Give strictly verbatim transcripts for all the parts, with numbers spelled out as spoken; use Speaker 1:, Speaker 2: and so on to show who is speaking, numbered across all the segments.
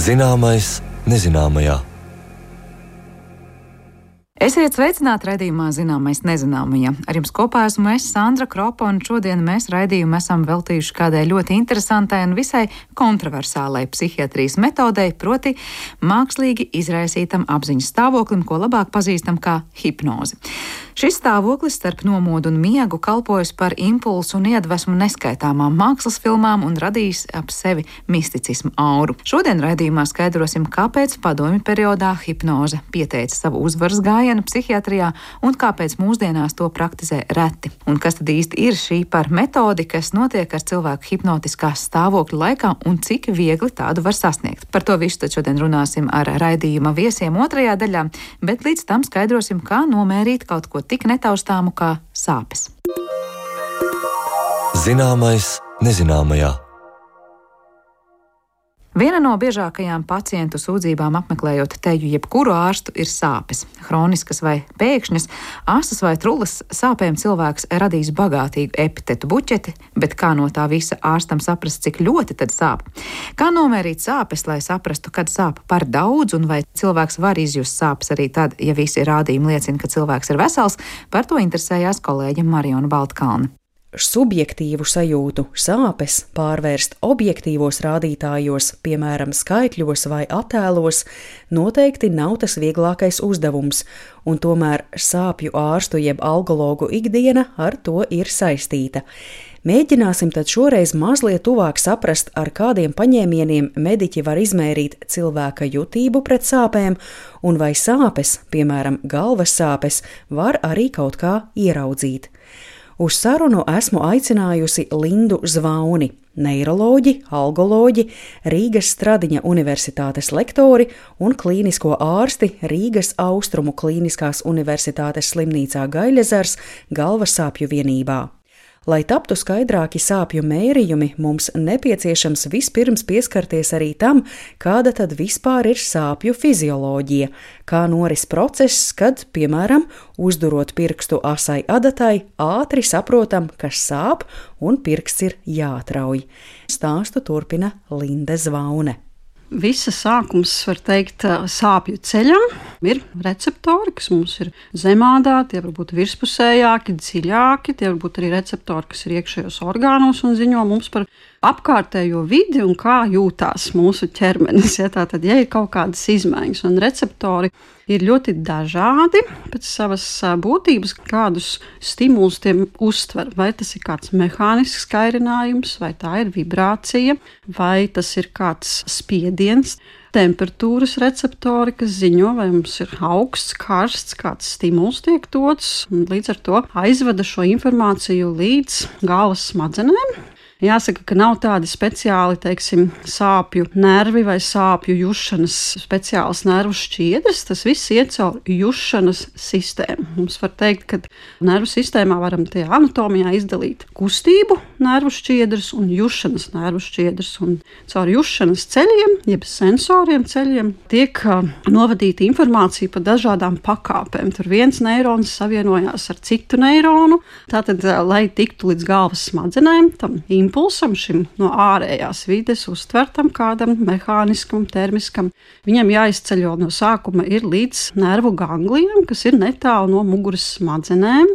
Speaker 1: Zināmais nezināmajā.
Speaker 2: Esiet sveicināti raidījumā Zināmais nezināmajā. Ar jums kopā esmu es, Sandra Kropa, un šodien mēs raidījumu esam veltījuši kādai ļoti interesantai un visai kontroversālai psihiatrijas metodei, proti mākslīgi izraisītam apziņas stāvoklim, ko labāk pazīstam kā hipnozi. Šis stāvoklis starp nomodu un miegu kalpojas par impulsu un iedvesmu neskaitāmām mākslas filmām un radīs ap sevi misticismu auru. Šodien raidījumā skaidrosim, kāpēc padomju periodā hipnoze pieteica savu uzvaras gājienu psihiatrijā un kāpēc mūsdienās to praktizē reti. Un kas tad īsti ir šī par metodi, kas notiek ar cilvēku hipnotiskā stāvokļa laikā un cik viegli tādu var sasniegt. Par to visu tad šodien runāsim ar raidījuma viesiem otrajā daļā, bet līdz tam skaidrosim, kā nomērīt kaut ko tik netaustāmu kā sāpes.
Speaker 1: Zināmais nezināmajā.
Speaker 2: Viena no biežākajām pacientu sūdzībām apmeklējot teju jebkuru ārstu ir sāpes. Hroniskas vai pēkšņas, asas vai trullas sāpēm cilvēks radīs bagātīgu epitetu buķeti, bet kā no tā visa ārstam saprast, cik ļoti tad sāp? Kā nomērīt sāpes, lai saprastu, kad sāp par daudz, un vai cilvēks var izjust sāpes arī tad, ja visi rādījumi liecina, ka cilvēks ir vesels? Par to interesējās kolēģe Mariona Baltkalne.
Speaker 3: Subjektīvu sajūtu sāpes pārvērst objektīvos rādītājos, piemēram, skaitļos vai attēlos, noteikti nav tas vieglākais uzdevums, un tomēr sāpju ārstu jeb algologu ikdiena ar to ir saistīta. Mēģināsim tad šoreiz mazliet tuvāk saprast, ar kādiem paņēmieniem mediķi var izmērīt cilvēka jutību pret sāpēm, un vai sāpes, piemēram, galvas sāpes, var arī kaut kā ieraudzīt. Uz sarunu esmu aicinājusi Lindu Zvauni, neiroloģi, algoloģi, Rīgas Stradiņa Universitātes lektori un klīnisko ārsti Rīgas Austrumu Klīniskās Universitātes slimnīcā Gaļezers galvas sāpju vienībā. Lai taptu skaidrāki sāpju mērījumi, mums nepieciešams vispirms pieskarties arī tam, kāda tad vispār ir sāpju fizioloģija, kā noris process, kad, piemēram, uzdurot pirkstu asai adatai, ātri saprotam, kas sāp un pirksts ir jāatrauj. Stāstu turpina Linde Zvaune.
Speaker 4: Visa sākums, var teikt, sāpju ceļam ir receptori, kas mums ir zemādā, tie var būt virspusējāki, dziļāki, tie var būt arī receptori, kas ir iekšējos orgānos un ziņo mums par apkārtējo vidi un kā jūtās mūsu ķermenis. Ja, tātad, ja ir kaut kādas izmaiņas, un receptori ir ļoti dažādi pēc savas būtības, kādus stimulus tiem uztver. Vai tas ir kāds mehānisks kairinājums, vai tā ir vibrācija, vai tas ir kāds spiediens, temperatūras receptori, kas ziņo, vai mums ir augsts, karsts, kāds stimuls tiek dots, un līdz ar to aizveda šo informāciju līdz galvas smadzenēm. Jāsaka, ka nav tādi speciāli, teiksim, sāpju nervi vai sāpju jušanas speciāls nervu šķiedras. Tas viss iet caur jušanas sistēmu. Mums var teikt, ka nervu sistēmā varam tie anatomijā izdalīt kustību nervu šķiedras un jušanas nervu šķiedras. Un caur jušanas ceļiem, jeb sensoriem ceļiem, tiek uh, novadīta informācija pa dažādām pakāpēm. Tur viens neirons savienojās ar citu neironu. Tātad, uh, lai tiktu līdz galvas smadzenēm, tam impulsam, šim no ārējās vides uztvertam kādam mehāniskam, termiskam, viņam jāizceļo no sākuma ir līdz nervu ganglijam, kas ir netālu no muguras smadzenēm,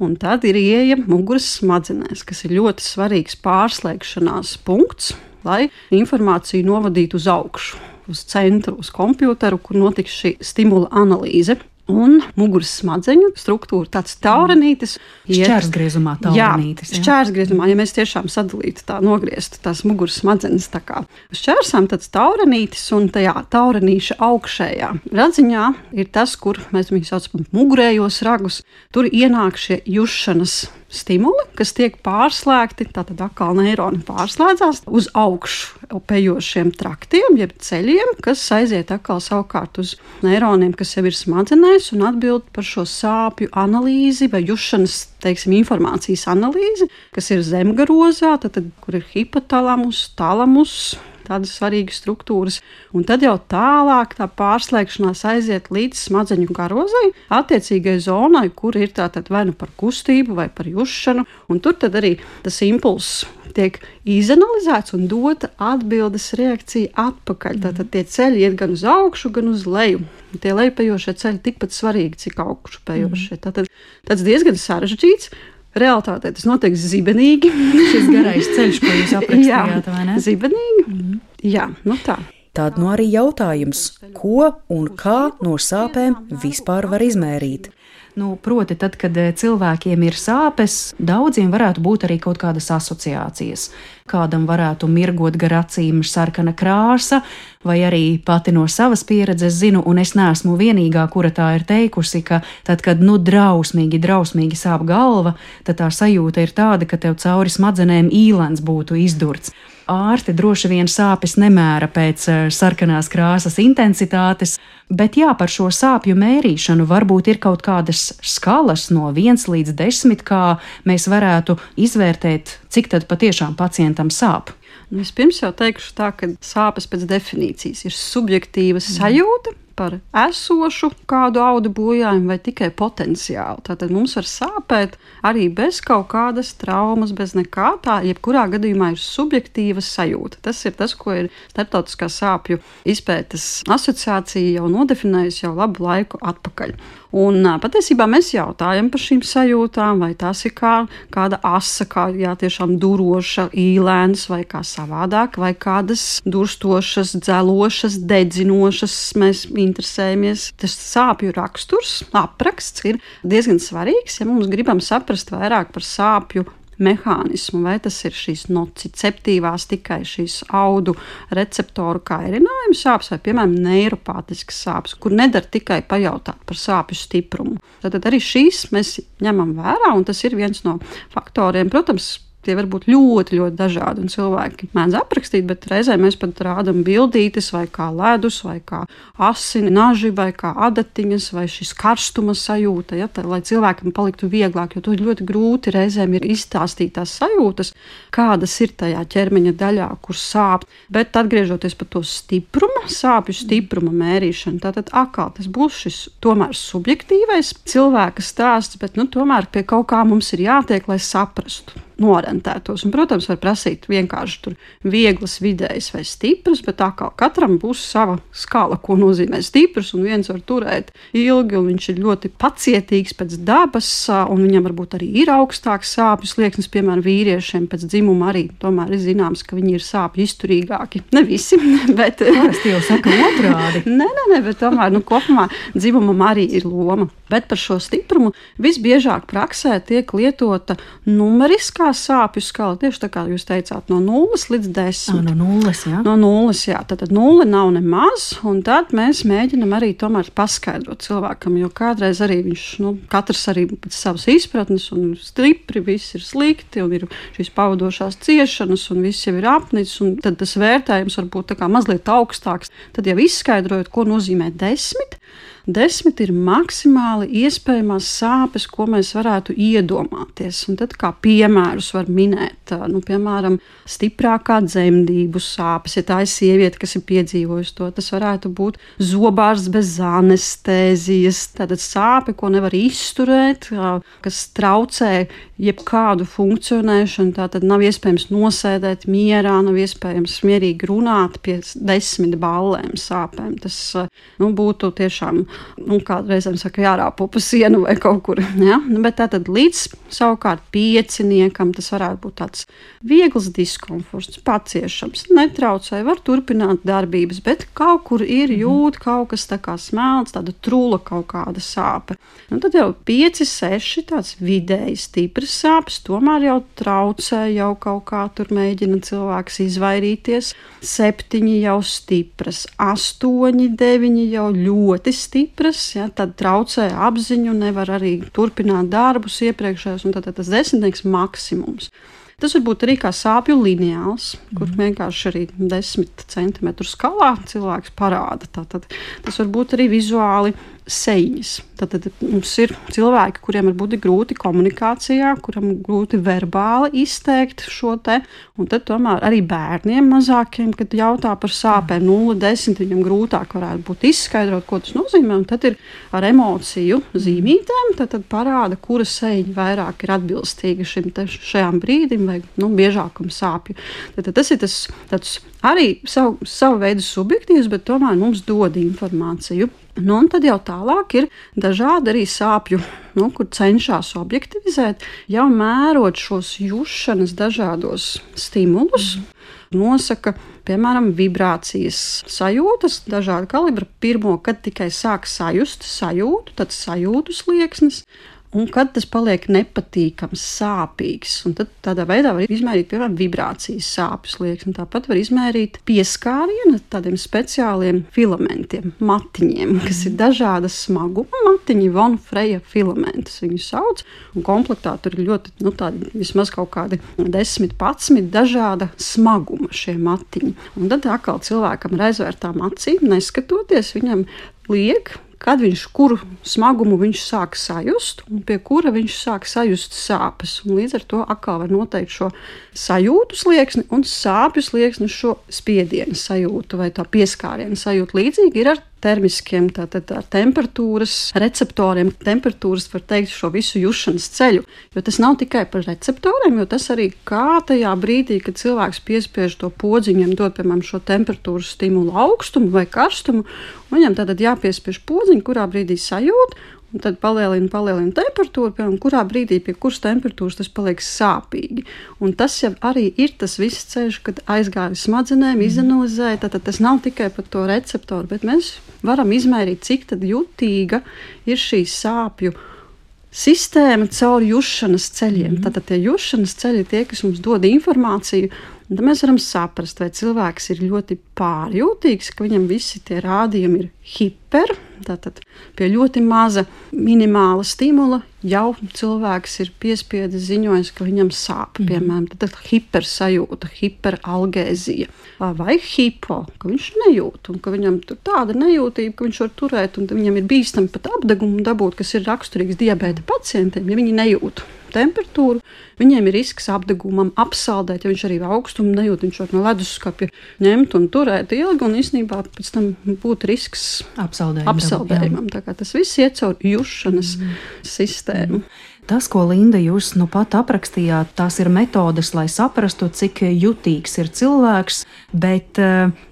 Speaker 4: un tad ir ieeja muguras smadzenēs, kas ir ļoti svarīgs pārslēgšanās punkts, lai informāciju novadītu uz augšu, uz centru, uz kompjuteru, kur notiks šī stimula analīze. Un muguras smadzeņu struktūra, tāds taurenītis.
Speaker 2: Šķērsgriezumā taurenītis.
Speaker 4: Jā, šķērsgriezumā, ja mēs tiešām sadalītu tā, nogrieztu tās muguras smadzenes tā kā šķērsām, tāds taurenītis un tajā taurenīša augšējā radziņā ir tas, kur mēs viņu saucam mugurējos ragus. Tur ienāk šie jušanas stimuli, kas tiek pārslēgti, tātad atkal neironi pārslēdzās uz augšu pejošiem traktiem, jeb ceļiem, kas aiziet atkal savukārt uz neironiem, kas jau ir smadzenēs un atbild par šo sāpju analīzi vai jušanas, teiksim, informācijas analīzi, kas ir zemgarozā, tātad, kur ir hipotalamus, talamus, tādas svarīgas struktūras. Un tad jau tālāk tā pārslēgšanās aiziet līdz smadzeņu garozai, attiecīgai zonai, kur ir tātad vai nu par kustību vai par jušanu. Un tur tad arī tas impulss tiek izanalizēts un dota atbildes reakcija atpakaļ. Tātad tie ceļi iet gan uz augšu, gan uz leju. Tie lejpējošie ceļi tikpat svarīgi, cik augšupējošie. Tātad tas diezgan sarežģīts. Realitātē tas notiek zibenīgi.
Speaker 2: Šis garais ceļš, ko jūs aprakstījāt, vai ne?
Speaker 4: Zibenīgi. Mm. Jā, nu tā.
Speaker 3: Tad nu arī jautājums, ko un kā no sāpēm vispār var izmērīt?
Speaker 2: Nu, proti, tad, kad cilvēkiem ir sāpes, daudziem varētu būt arī kaut kādas asociācijas. Kādam varētu mirgot gar acīm sarkana krāsa, vai arī pati no savas pieredzes zinu, un es neesmu vienīgā, kura tā ir teikusi, ka tad, kad nu drausmīgi, drausmīgi sāp galva, tad tā sajūta ir tāda, ka tev cauri smadzenēm īlens būtu izdurts. Ārsti droši vien sāpes nemēra pēc sarkanās krāsas intensitātes, bet jā, par šo sāpju mērīšanu varbūt ir kaut kādas skalas no viens līdz desmit, kā mēs varētu izvērtēt, cik tad patiešām pacientam sāp.
Speaker 4: Vispirms jau teikšu tā, ka sāpes pēc definīcijas ir subjektīva sajūta par esošu kādu audu bojājumu vai tikai potenciālu. Tātad mums var sāpēt arī bez kaut kādas traumas, bez nekā tā, jebkurā gadījumā ir subjektīva sajūta. Tas ir tas, ko ir Starptautiskā sāpju izpētes asociācija jau nodefinējusi jau labu laiku atpakaļ. Un patiesībā mēs jautājam par šīm sajūtām, vai tās ir kā kāda asa, kā jā, tiešām duroša, īlēns vai kā savādāk, vai kādas durstošas, dzelošas, dedzinošas. Mēs interesējamies. Tas sāpju raksturs, apraksts ir diezgan svarīgs, ja mums gribam saprast vairāk par sāpju mehānismu, vai tas ir šīs nociceptīvās tikai šīs audu receptoru kairinājuma sāpes, vai, piemēram, neiropātiskas sāpes, kur nedara tikai pajautāt par sāpju stiprumu. Tad arī šīs mēs ņemam vērā, un tas ir viens no faktoriem. Protams, tie var būt ļoti, ļoti dažādi, un cilvēki mēdz aprakstīt, bet reizē mēs pat rādam bildītes, vai kā ledus, vai kā asini, naži, vai kā adatiņas, vai šis karstuma sajūta, ja, tā, lai cilvēkam paliktu vieglāk, jo to ļoti grūti reizēm ir izstāstīt tās sajūtas, kādas ir tajā ķermeņa daļā, kur sāp. Bet atgriežoties par to stiprumu, sāpju stipruma mērīšanu, tātad atkal tas būs šis tomēr subjektīvais cilvēka stāsts, bet nu, tomēr pie kaut kā mums ir jātiek, lai saprastu. Norentētos. Un, protams, var prasīt vienkārši tur vieglas, vidējas vai stipras, bet tā kā katram būs sava skala, ko nozīmē stiprs, un viens var turēt ilgi, un viņš ir ļoti pacietīgs pēc dabas, un viņam varbūt arī ir augstāks sāpju slieksnis, piemēram, vīriešiem pēc dzimuma arī tomēr ir zināms, ka viņi ir sāpju izturīgāki. Ne visi, bet...
Speaker 2: Parasti jau saka otrādi.
Speaker 4: Nē, nē, nē, bet tomēr, nu, kopumā dzimumam arī ir loma. Bet par šo stiprumu visbiežāk praksē tiek lietota numeriskā sāpju skala, tieši tā kā jūs teicāt, no nulles līdz desmit.
Speaker 2: No nulles, jā.
Speaker 4: No nulles, jā. Tātad nulle nav nemaz, un tad mēs mēģinam arī tomēr paskaidrot cilvēkam, jo kādreiz arī viņš, nu, katrs arī pēc savas izpratnes, un stipri, viss ir slikti, un ir šīs pavadošās ciešanas, un viss jau ir apnicis, un tad tas vērtējums var būt tā kā mazliet augstāks. Tad jau izskaidrojot, ko nozīmē desmit, Desmit ir maksimāli iespējamās sāpes, ko mēs varētu iedomāties. Un tad kā piemērus var minēt, nu, piemēram, stiprākā dzemdību sāpes. Ja tā ir sieviete, kas ir piedzīvojusi to, tas varētu būt zobārsts bez anestēzijas. Tātad sāpe, ko nevar izturēt, kas traucē jebkādu funkcionēšanu. Tātad nav iespējams nosēdēt mierā, nav iespējams mierīgi runāt pie desmit ballēm sāpēm. Tas, nu, būtu tiešām, nu, kādreizēm saka, jārāpo pa sienu vai kaut kur. Ja? Bet tātad līdz savukārt pieciniekam tas varētu būt tāds viegls diskomforts, paciešams, netraucē, var turpināt darbības, bet kaut kur ir jūt kaut kas tā kā smelts, tāda trula kaut kāda sāpe. Un tad jau pieci, seši tāds vidēji stiprs sāpes, tomēr jau traucē, jau kaut kā tur mēģina cilvēks izvairīties. Septiņi jau stipras, astoņi, deviņi jau ļoti stipras, ja, tad traucē apziņu, nevar arī turpināt darbus iepriekšējos, un tad tas desmitnieks maksimums. Tas var būt arī kā sāpju lineāls, kur vienkārši arī desmit centimetru skalā cilvēks parāda. Tātad tas var būt arī vizuāli sejiņas. Tad, tad mums ir cilvēki, kuriem var būt grūti komunikācijā, kuram grūti verbāli izteikt šo te, un tad tomēr arī bērniem mazākiem, kad jautā par sāpēm nulle desmit, viņam grūtāk varētu būt izskaidrot, ko tas nozīmē, un tad ir ar emociju zīmītēm, tad, tad parāda, kura sejiņa vairāk ir atbilstīga šim te, šajām brīdim vai, nu, biežākam sāpju. Tad, tad tas ir tas tāds arī savu, savu veidu subjektīvs, bet tomēr mums dod informāciju. Nu, un tad jau tālāk ir dažādi arī sāpju, nu, kur cenšas objektivizēt, jau mērot šos jušanas dažādos stimulus, mm. nosaka, piemēram, vibrācijas sajūtas, dažāda kalibra. Pirmo, kad tikai sāk sajust sajūtu, tad sajūtu slieksnis. Un kad tas paliek nepatīkams, sāpīgs, un tad tādā veidā var izmērīt, piemēram, vibrācijas sāpju slieksni. Tāpat var izmērīt pieskārienu tādiem speciāliem filamentiem, matiņiem, kas ir dažāda smaguma matiņi, von Freja filamentus viņu sauc, un komplektā tur ir ļoti, nu, tādi vismaz kaut kādi desmit, padsmit dažāda smaguma šie matiņi. Un tad atkal cilvēkam ar aizvērtām acīm, neskatoties, viņam liek, kad viņš kuru smagumu viņš sāk sajust un pie kura viņš sāk sajust sāpes. Un līdz ar to atkal var noteikt šo sajūtu slieksni un sāpju slieksni, šo spiedienu sajūtu vai tā pieskārienu sajūtu. Līdzīgi ir ar termiskiem, tātad ar temperatūras receptoriem. Temperatūras var teikt šo visu jušanas ceļu, jo tas nav tikai par receptoriem, jo tas arī kā tajā brīdī, kad cilvēks piespiež to podziņam, dod, piemēram, šo temperatūras stimulu augstumu vai karstumu, un viņam tātad jāpiespiež podziņu, kurā brīdī sajūt, un tad palielina, palielina temperatūru, piemēram, kurā brīdī pie kuras temperatūras tas paliek sāpīgi. Un tas jau arī ir tas viss ceļš, kad aizgāja smadzenēm, izanalizēja, tātad tas nav tikai par to receptoru, bet mēs varam izmērīt, cik tad jutīga ir šī sāpju sistēma caur jušanas ceļiem. Mm-hmm. Tātad tie jušanas ceļi ir tie, kas mums dod informāciju, un tad mēs varam saprast, vai cilvēks ir ļoti pārjūtīgs, ka viņam visi tie rādījumi ir hiper, tātad pie ļoti maza minimāla stimula jau cilvēks ir piespiedis ziņojis, ka viņam sāp, mm. piemēram, tad hipersajūta, hiperalgēzija, vai hipo, ka viņš nejūt, un ka viņam tur tāda nejūtība, ka viņš var turēt, un viņam ir bīstami pat apdegumu dabūt, kas ir raksturīgs diabēta pacientiem, ja viņi nejūt temperatūru, viņiem ir risks apdegumam apsaldēt, ja viņš arī augstumu nejūt, viņš var no leduskapja ņemt un turēt ilgi, un īstenībā pēc tam būtu risks
Speaker 3: apsaldējumam.
Speaker 4: apsaldējumam. Tā kā tas viss iet caur jušanas mm. sistēmu. Mm.
Speaker 3: Tas, ko Linda jūs nu pat aprakstījāt, tās ir metodes, lai saprastu, cik jutīgs ir cilvēks, bet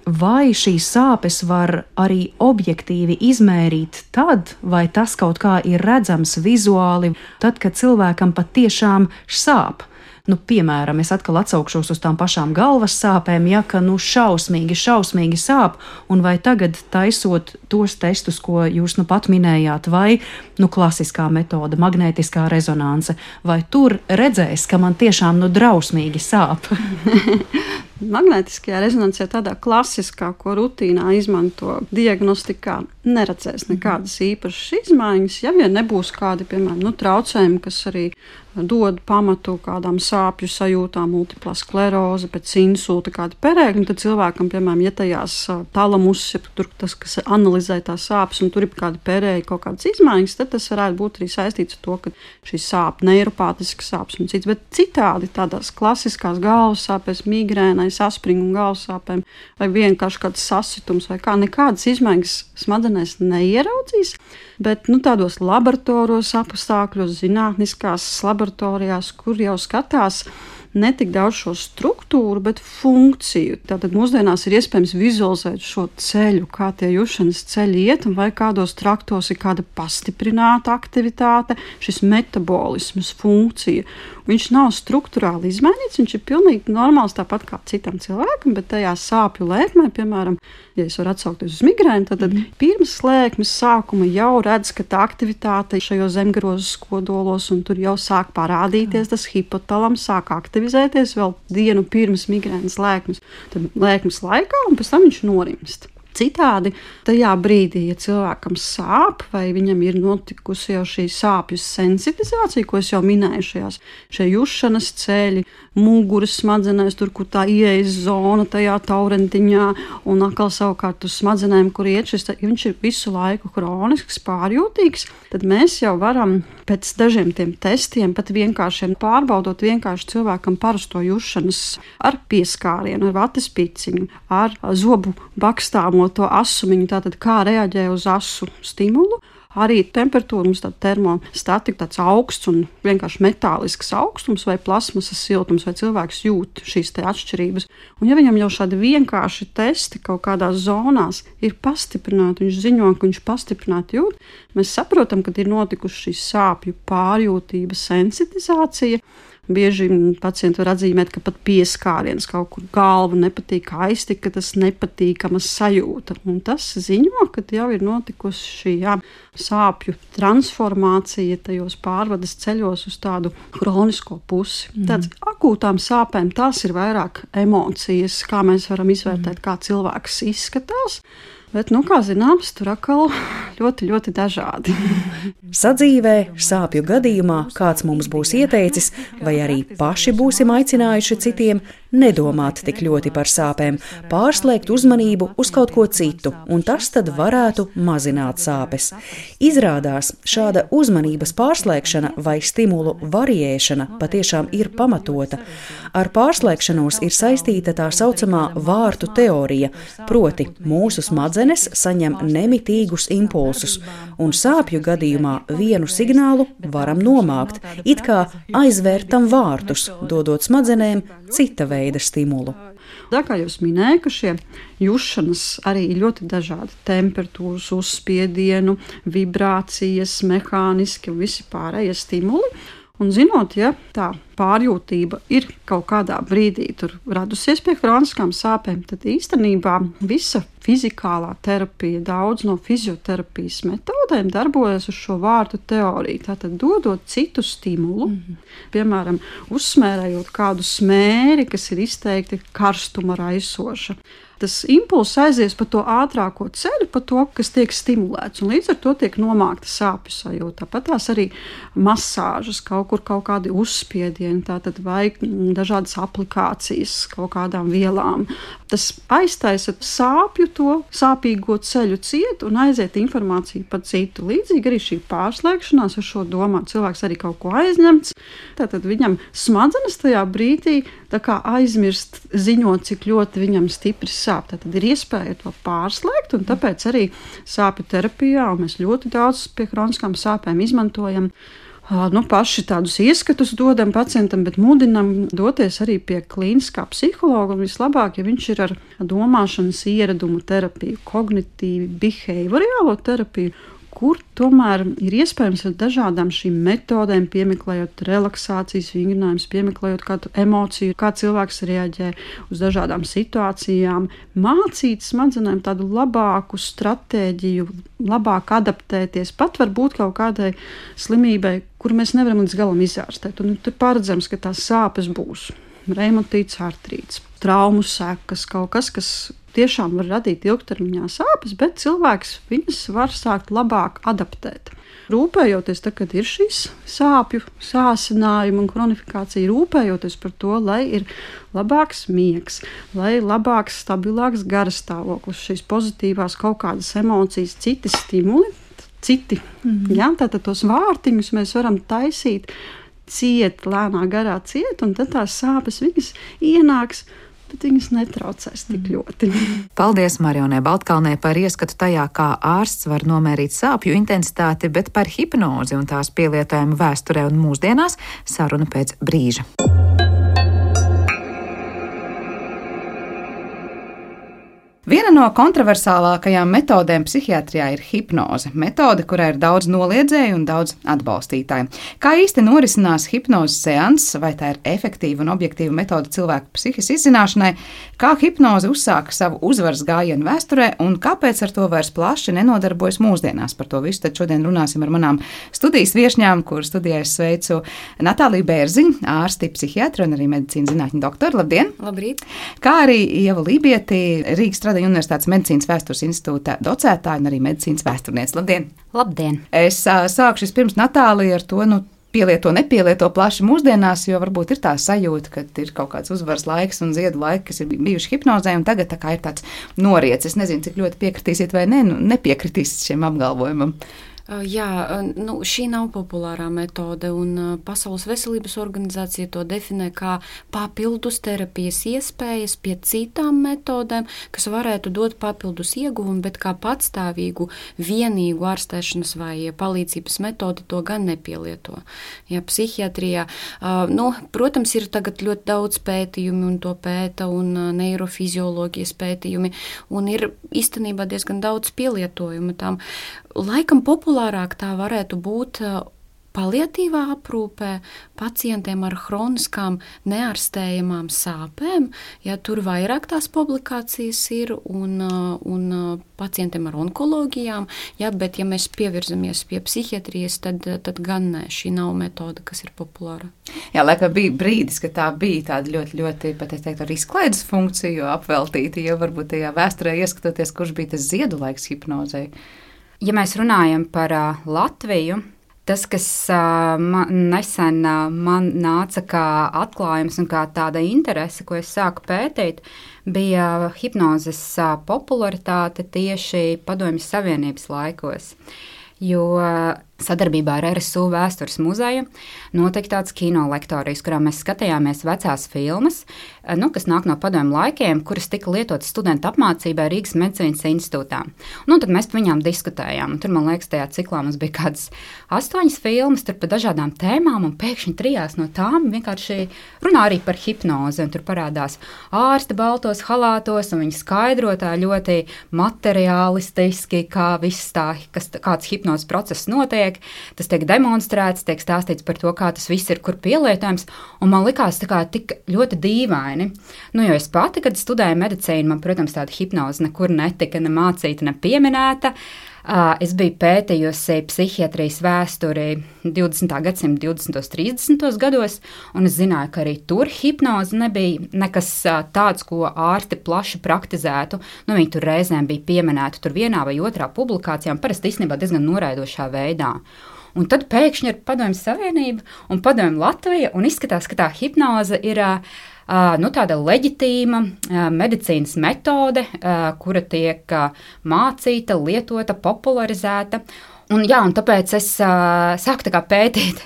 Speaker 3: vai šīs sāpes var arī objektīvi izmērīt tad, vai tas kaut kā ir redzams vizuāli, tad, kad cilvēkam patiešām sāp? Nu, piemēram, es atkal atsaukšos uz tām pašām galvas sāpēm, ja, ka nu šausmīgi, šausmīgi sāp, un vai tagad taisot tos testus, ko jūs nu pat minējāt, vai nu klasiskā metode, magnētiskā rezonanse, vai tur redzēs, ka man tiešām nu drausmīgi sāp?
Speaker 4: Magnētiskajā rezonansē, tādā klasiskā, ko rutīnā izmanto diagnostikā, neredzēs nekādas īpašas izmaiņas, ja vien nebūs kādi, piemēram, nu, traucējumi, kas arī dod pamatu kādām sāpju sajūtām, multiplā skleroze, pēc insulta, kāda perēkļa, tad cilvēkam, piemēram, ja tajās talamus, ja tur tas, kas analizē tās sāpes, un tur ir kāda perēja, kaut kādas izmaiņas, tad tas varētu būt arī saistīts ar to, ka šī sāp, neiropātiskas sāpes un cits, bet citādi tādās klasiskās galvas sāpēs, migrēnai, saspringu un galvas sāpēm, vai vienkārši kāds sasitums, vai kā nekādas izmaiņas smadzenēs neieraudzīs, bet, nu, tādos laboratoros apstākļos, zinātniskās laboratorijās, kur jau skatās ne tik daudz šo struktūru, bet funkciju. Tātad mūsdienās ir iespējams vizualizēt šo ceļu, kā tie jušanas ceļi iet, un vai kādos traktos ir kāda pastiprināta aktivitāte, šis metabolisms, funkcija. Viņš nav struktūrāli izmainīts, viņš ir pilnīgi normāls, tāpat kā citam cilvēkam, bet tajā sāpju lēkmē, piemēram, ja es varu atsaukties uz migrēnu, tad mm. pirms lēkmes sākuma jau redz, ka tā aktivitāte šajos zemgarozes kodolos, un tur jau sāk parādīties, tas hipotalams sāk aktivizēties vēl dienu pirms migrēnas lēkmes, tad lēkmes laikā, un pēc tam viņš norimst. Citādi, tajā brīdī, ja cilvēkam sāp, vai viņam ir notikusi jau šī sāpju sensitizācija, ko es jau minēju, šajās, šie jušanas ceļi, muguras smadzenēs, tur, kur tā ieejas zona tajā taurentiņā, un atkal savukārt uz smadzenēm, kur iet šis, ja viņš ir visu laiku kronisks, pārjūtīgs, tad mēs jau varam pēc dažiem tiem testiem, pat vienkāršiem pārbaudot vienkārši cilvēkam parasto jušanas ar pieskārienu, ar vates piciņu, ar zobu bakstāmo to asumiņu, tātad kā reaģē uz asu stimulu. Arī temperatūra mums tāda termostatika, tāds augsts un vienkārši metālisks augstums vai plasmasas siltums, vai cilvēks jūt šīs te atšķirības. Un ja viņam jau šādi vienkārši testi kaut kādās zonās ir pastiprināti, viņš ziņo, ka viņš pastiprināti jūt, mēs saprotam, ka ir notikuši šī sāpju pārjūtība, sensitizācija. Bieži pacienti var atzīmēt, ka pat pieskāriens kaut kur galva nepatīk, aiztika, ka tas nepatīkama sajūta. Un tas ziņo, ka jau ir notikusi šī jā, sāpju transformācija tajos pārvades ceļos uz tādu kronisko pusi. Mm. Tāds akūtām sāpēm tās ir vairāk emocijas, kā mēs varam izvērtēt, mm. kā cilvēks izskatās. Bet, nu, kā zināms, tur atkal ļoti, ļoti dažādi.
Speaker 3: Sadzīvē, sāpju gadījumā kāds mums būs ieteicis, vai arī paši būsim aicinājuši citiem nedomāt tik ļoti par sāpēm, pārslēgt uzmanību uz kaut ko citu, un tas tad varētu mazināt sāpes. Izrādās, šāda uzmanības pārslēgšana vai stimulu variēšana patiešām ir pamatota. Ar pārslēgšanos ir saistīta tā saucamā vārtu teorija, proti mūsu smadzenes saņem nemitīgus impulsus, un sāpju gadījumā vienu signālu varam nomākt, it kā aizvērtam vārtus, dodot smadzenēm cita veida stimulu.
Speaker 4: Tā kā jūs minējāt, ka šie jušanas arī ir ļoti dažādi temperatūras, uzspiedienu, vibrācijas, mehāniski un visi pārējie stimuli. Un zinot, ja tā pārjūtība ir kaut kādā brīdī tur radusies pie kroniskām sāpēm, tad īstenībā visa fizikālā terapija, daudz no fizioterapijas metodēm darbojas uz šo vārtu teoriju. Tātad dodot citu stimulu, mm-hmm. piemēram, uzsmērējot kādu smēri, kas ir izteikti karstuma raisoša. Tas impulss aizies pa to ātrāko ceļu, pa to, kas tiek stimulēts, un līdz ar to tiek nomākta sāpju sajūta. Tāpat tās arī masāžas, kaut kur kaut kādi uzspiedieni, tātad vai dažādas aplikācijas kaut kādām vielām. Tas aiztaisa sāpju to sāpīgo ceļu ciet un aiziet informāciju pa citu. Līdzīgi arī šī pārslēgšanās ar šo domā. Cilvēks arī kaut ko aizņemts, tātad viņam smadzenes tajā brīdī tā kā aizmirst ziņot, cik ļoti viņam stipri sāp. Tātad ir iespēja to pārslēgt, un tāpēc arī sāpju terapijā, un mēs ļoti daudz pie kroniskām sāpēm izmantojam, nu, paši tādus ieskatus dodam pacientam, bet mudinam doties arī pie klīniskā psihologa, un vislabāk, ja viņš ir ar domāšanas ieradumu terapiju, kognitīvi behaviorālo terapiju, kur tomēr ir iespējams ar dažādām šīm metodēm, piemeklējot relaksācijas vingrinājumus, piemeklējot kādu emociju, kā cilvēks reaģē uz dažādām situācijām, mācīt smadzenēm tādu labāku stratēģiju, labāk adaptēties, pat varbūt kaut kādai slimībai, kuru mēs nevaram līdz galam izārstēt. Un tur paredzams, ka tās sāpes būs reumatīts, artrīts, traumu sekas, kaut kas, kas tiešām var radīt ilgtermiņā sāpes, bet cilvēks viņas var sākt labāk adaptēt. Rūpējoties, tā, kad ir šīs sāpju sāsinājumi un kronifikācija, rūpējoties par to, lai ir labāks miegs, lai labāks, stabilāks garastāvoklis, šīs pozitīvās kaut kādas emocijas, citi stimuli, citi. Mm-hmm. Ja, tātad tos vārtiņus mēs varam taisīt ciet, lēnā garā ciet, un tad tās sāpes viņas ienāks, bet viņas netraucēs tik ļoti.
Speaker 2: Paldies Marionai Baltkalnei par ieskatu tajā, kā ārsts var nomērīt sāpju intensitāti, bet par hipnozi un tās pielietojumu vēsturē un mūsdienās saruna pēc brīža. Viena no kontroversālākajām metodēm psihiatrijā ir hipnoze. Metode, kurā ir daudz noliedzēju un daudz atbalstītāju. Kā īsti norisinās hipnozes seanss, vai tā ir efektīva un objektīva metode cilvēku psihes izzināšanai, kā hipnoze uzsāka savu uzvaras gājienu vēsturē un kāpēc ar to vairs plaši nenodarbojas mūsdienās. Par to visu tad šodien runāsim ar manām studijas viešņām, kur studijā es sveicu Natāliju Bērziņu, ārsti, psihiatri un arī medicīnas zinātņu doktoru. Labdien!
Speaker 5: Labrīt!
Speaker 2: Kā arī Ieva Lībieti, Rīgas Stradiņa Universitātes medicīnas vēstures institūta docētāja un arī medicīnas vēsturniece. Labdien!
Speaker 5: Labdien!
Speaker 2: Es uh, sākšu vispirms, Natālija, ar to, nu, pielieto, nepielieto plaši mūsdienās, jo varbūt ir tā sajūta, ka ir kaut kāds uzvaras laiks un ziedu laiki, kas ir bijuši hipnozē, un tagad tā kā ir tāds noriets. Es nezinu, cik ļoti piekritīsiet vai ne, nu, nepiekritīsiet šiem apgalvojumam.
Speaker 5: Jā, nu, šī nav populārā metode, un Pasaules veselības organizācija to definē kā papildus terapijas iespējas pie citām metodēm, kas varētu dot papildus ieguvumu, bet kā patstāvīgu, vienīgu ārstēšanas vai palīdzības metodi to gan nepielieto. Jā, psihiatrijā, nu, protams, ir tagad ļoti daudz pētījumi, un to pēta, un neirofizioloģijas pētījumi, un ir īstenībā diezgan daudz pielietojuma tam. Laikam populārāk tā varētu būt paliatīvā aprūpē pacientiem ar hroniskām neārstējamām sāpēm, ja tur vairāk tās publikācijas ir, un, un pacientiem ar onkoloģijām, ja, bet ja mēs pievirzamies pie psihiatrijas, tad, tad gan ne, šī nav metode, kas ir populāra.
Speaker 2: Jā, laikam bija brīdis, ka tā bija tāda ļoti, ļoti, pat es teiktu, ar izklaides funkciju apveltīta, jo varbūt tajā vēsturē ieskatoties, kurš bija tas ziedu laiks hipnozei.
Speaker 6: Ja mēs runājam par uh, Latviju, tas, kas uh, man, nesen uh, man nāca kā atklājums un kā tāda interese, ko es sāku pētīt, bija hipnozes uh, popularitāte tieši Padomju Savienības laikos. Jo sadarbībā ar R S U Vēstures muzeju notika tāds kino lektorijas, kurā mēs skatījāmies vecās filmas, nu, kas nāk no padomju laikiem, kuras tika lietotas studentu apmācībai Rīgas medicīnas institūtā. Nu, tad mēs par viņām diskutējām, un tur, man liekas, tajā ciklā mums bija kādas astoņas filmas, tur par dažādām tēmām, un pēkšņi trijās no tām vienkārši runā arī par hipnozi, un tur parādās ārsti baltos halātos, un viņi skaidrotā ļoti materiālistiski, kā viss tā, kas, kāds hipnozes process notiek. Tas tiek demonstrēts, tiek stāstīts par to, kā tas viss ir, kur pielietojams, un man likās tā kā tik ļoti dīvaini. Nu, jo es pati, kad studēju medicīnu, man, protams, tāda hipnoze nekur netika ne mācīta, ne pieminēta. Es biju pētījusi psihiatrijas vēsturi divdesmitā gadsimta divdesmitos, trīsdesmitos gados, un es zināju, ka arī tur hipnoze nebija nekas tāds, ko ārsti plaši praktizētu. Nu, viņi tur reizēm bija pieminēti tur vienā vai otrā publikācijā, un parasti īstenībā diezgan noraidošā veidā. Un tad pēkšņi ir Padomju Savienība un Padomju Latvija, un izskatās, ka tā hipnoze ir Uh, nu, tāda leģitīma uh, medicīnas metode, uh, kura tiek uh, mācīta, lietota, popularizēta. Un, jā, un tāpēc es uh, sāku tā kā pētīt,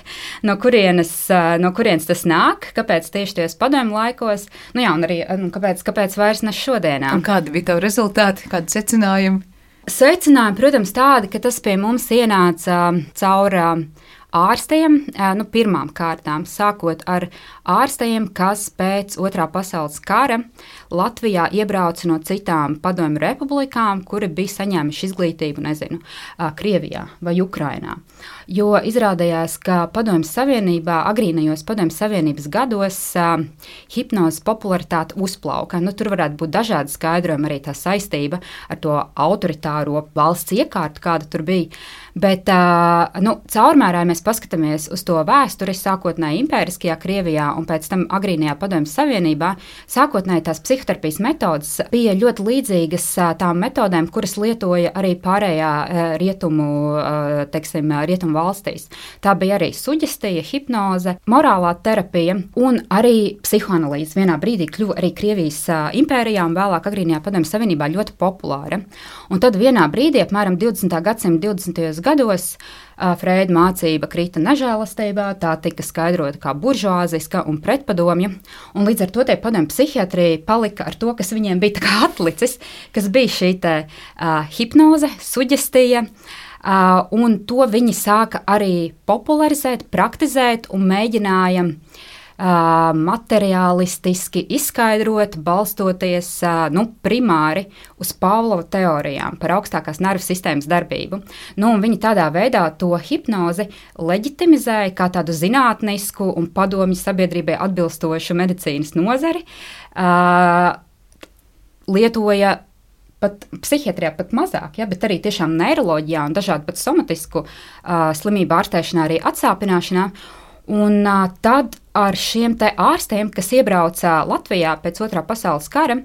Speaker 6: no kurienes, uh, no kurienes tas nāk, kāpēc tieši tajos padomju laikos, nu jā, un arī nu, kāpēc, kāpēc vairs ne šodienā.
Speaker 2: Un kādi bija tavi rezultāti, kādi secinājumi?
Speaker 6: Secinājumi, protams, tādi, ka tas pie mums ienāca uh, caur uh, ārstiem, nu, pirmām kārtām, sākot ar ārstiem, kas pēc otrā pasaules kara Latvijā iebrauca no citām padomju republikām, kuri bija saņēmuši izglītību, nezinu, Krievijā vai Ukrainā. Jo izrādījās, ka Padomju Savienībā, agrīnajos Padomju Savienības gados, hipnozes popularitāte uzplauka. Nu, tur varētu būt dažādi skaidrojumi, arī tā saistība ar to autoritāro valsts iekārtu, kāda tur bija. Bet nu, caurmērā mēs paskatāmies uz to vēsturi, sākotnēji impēriskajā Krievijā un pēc tam agrīnajā Padomju Savienībā. Sākotnēji tās psihoterapijas metodas bija ļoti līdzīgas tām metodēm, kuras lietoja arī pārējā rietumu, teiksim, rietumu valstīs. Tā bija arī suģestija, hipnoze, morālā terapija un arī psihoanalīze. Vienā brīdī kļuva arī Krievijas impērijā un vēlāk agrīnajā Padomju Savienībā ļoti populāra. Un tad vienā brīdī, apmēram divdesmitā gadsimta divdesmitajos gados, Freida mācība krita nežēlastībā, tā tika skaidrota kā buržuāziska un pretpadomja, un līdz ar to tie padomju psihiatrija palika ar to, kas viņiem bija tā kā atlicis, kas bija šī te uh, hipnoze, suģestija, uh, un to viņi sāka arī popularizēt, praktizēt un mēģināja uh, materiālistiski izskaidrot, balstoties uh, nu, primāri uz Pavlova teorijām par augstākās nervu sistēmas darbību. Nu, un viņi tādā veidā to hipnozi leģitimizēja kā tādu zinātnisku un padomju sabiedrībai atbilstošu medicīnas nozari, uh, lietoja pat psihiatrijā pat mazāk, ja, bet arī tiešām neiroloģijā un dažādu pat somatisku uh, slimību ārstēšanā, arī atsāpināšanā. Un uh, tad ar šiem te ārstiem, kas iebrauca Latvijā pēc otrā pasaules kara,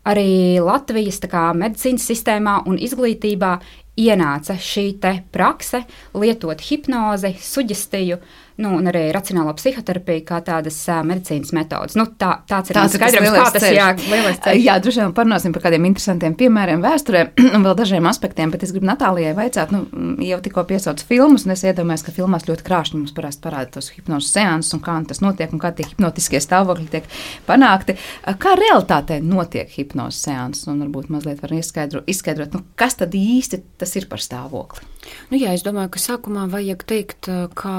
Speaker 6: arī Latvijas tā kā medicīnas sistēmā un izglītībā ienāca šī te prakse lietot hipnozi, suģestiju, nu, un arī racionālo psihoterapiju kā tādas uh, medicīnas metodas. Nu, tā, tāds ir tāds skaidrums, kā tas jā, lielais ceļš.
Speaker 2: Jā, droši vien parunāsim par kādiem interesantiem piemēriem vēsturē un vēl dažiem aspektiem, bet es gribu Natālijai vaicāt, nu, jau tikko piesauc filmus, un es iedomājos, ka filmās ļoti krāšņi mums parasti parāda tos hipnozes seansus un kā tas notiek un kā tie hipnotiskie stāvokļi tiek panākti. Kā realitātē notiek hipnozes seansus, un varbūt mazliet var izskaidrot, izskaidrot, nu, kas tad īsti tas ir par stāvokli?
Speaker 5: Nu jā, es domāju, ka sākumā vajag teikt, ka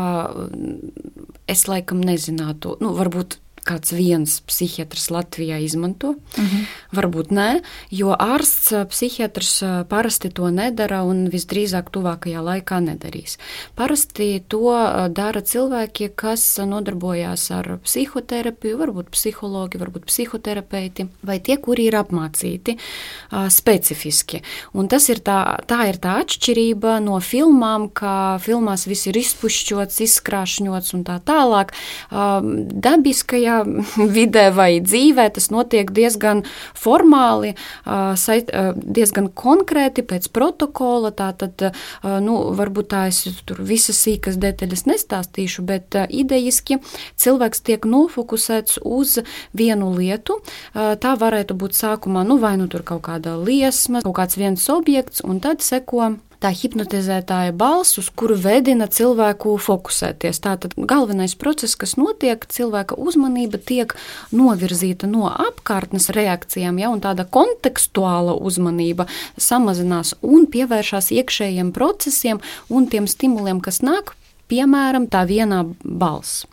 Speaker 5: es laikam nezinātu, nu, varbūt kāds viens psihiatrs Latvijā izmanto, uh-huh. varbūt nē, jo ārsts, psihiatrs parasti to nedara un visdrīzāk tuvākajā laikā nedarīs. Parasti to dara cilvēki, kas nodarbojās ar psihoterapiju, varbūt psihologi, varbūt psihoterapeiti, vai tie, kuri ir apmācīti uh, specifiski. Un tas ir tā, tā ir tā atšķirība no filmām, ka filmās viss ir izpušķots, izskrāšņots un tā tālāk. Uh, dabiskajā vidē vai dzīvē tas notiek diezgan formāli, diezgan konkrēti pēc protokola, tātad, nu, varbūt tā es tur visas sīkas detaļas nestāstīšu, bet idejiski cilvēks tiek nofokusēts uz vienu lietu. Tā varētu būt sākumā, nu, vai nu tur kaut kāda liesma, kaut kāds viens objekts, un tad seko tā hipnotizētāja balss, uz kuru vedina cilvēku fokusēties. Tātad galvenais process, kas notiek, cilvēka uzmanība tiek novirzīta no apkārtnes reakcijām, ja, un tāda kontekstuāla uzmanība samazinās un pievēršās iekšējiem procesiem un tiem stimuliem, kas nāk, piemēram, tā vienā balss.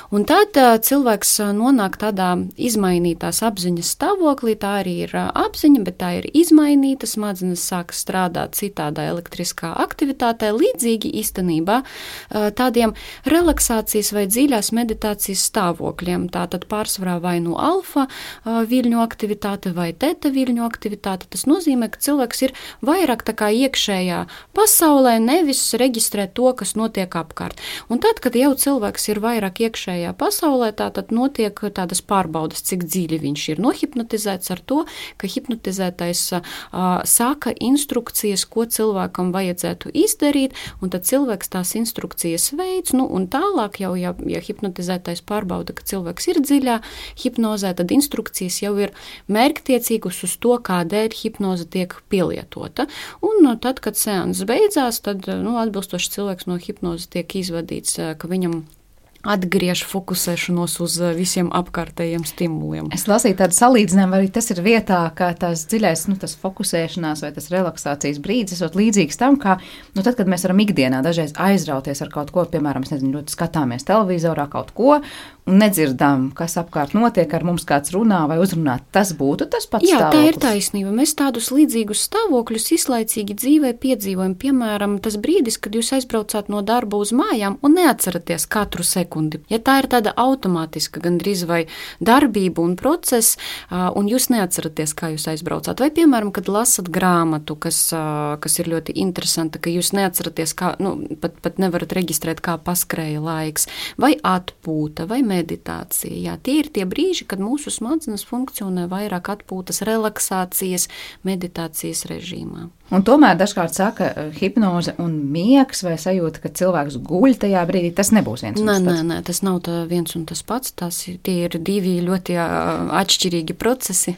Speaker 5: Un tad uh, cilvēks nonāk tādā izmainītās apziņas stāvoklī, tā arī ir uh, apziņa, bet tā ir izmainīta, smadzenes sāk strādāt citādā elektriskā aktivitātē, līdzīgi īstenībā uh, tādiem relaksācijas vai dziļās meditācijas stāvokļiem. Tātad pārsvarā vai nu alfa uh, viļņu aktivitāte vai teta viļņu aktivitāte. Tas nozīmē, ka cilvēks ir vairāk tā kā iekšējā pasaulē, nevis reģistrē to, kas notiek apkārt. Un tad, kad jau cilvēks ir vairāk iekšējā pasaulē, tā tad notiek tādas pārbaudas, cik dziļi viņš ir nohipnotizēts ar to, ka hipnotizētais uh, saka instrukcijas, ko cilvēkam vajadzētu izdarīt, un tad cilvēks tās instrukcijas veids, nu, un tālāk jau, ja, ja hipnotizētais pārbauda, ka cilvēks ir dziļā hipnozē, tad instrukcijas jau ir mērķtiecīgas uz to, kādēļ hipnoze tiek pielietota. Un uh, tad, kad seans beidzās, tad, nu, atbilstoši cilvēks no hipnozes tiek izvadīts, ka viņam atgriež fokusēšanos uz visiem apkārtējiem stimuliem.
Speaker 2: Es lasīju tādu salīdzinājumu, arī tas ir vietā, kā tās dziļais, nu, tas fokusēšanās vai tas relaksācijas brīdis, esot līdzīgs tam, kā, nu, tad, kad mēs varam ikdienā dažreiz aizrauties ar kaut ko, piemēram, es nezinu, ļoti skatāmies televizorā kaut ko, un nedzirdam, kas apkārt notiek, ar mums kāds runā vai uzrunā. Tas būtu tas pats
Speaker 5: Jā,
Speaker 2: stāvoklis.
Speaker 5: Tā ir taisnība. Mēs tādus līdzīgus stāvokļus izlaicīgi dzīvē piedzīvojam. Piemēram, tas brīdis, kad jūs aizbraucāt no darba uz mājām un neatceraties katru sekundi. Ja tā ir tāda automātiska gandrīz vai darbība un process, un jūs neatceraties, kā jūs aizbraucāt. Vai, piemēram, kad lasat grāmatu, kas, kas ir ļoti interesanta, ka jūs neatceraties, kā, nu, pat, pat nevarat reģistrēt, kā paskrēja laiks, vai atpūta, vai meditācija. Jā, tie ir tie brīži, kad mūsu smadzenes funkcionē vairāk atpūtas, relaksācijas, meditācijas režīmā.
Speaker 2: Un tomēr dažkārt saka, hipnoze un miegs vai sajūta, ka cilvēks guļ tajā brīdī, tas nebūs viens un
Speaker 5: nē,
Speaker 2: tas pats.
Speaker 5: Nē, nē, tas nav tā viens un tas pats. Tas, tie ir divi ļoti atšķirīgi procesi.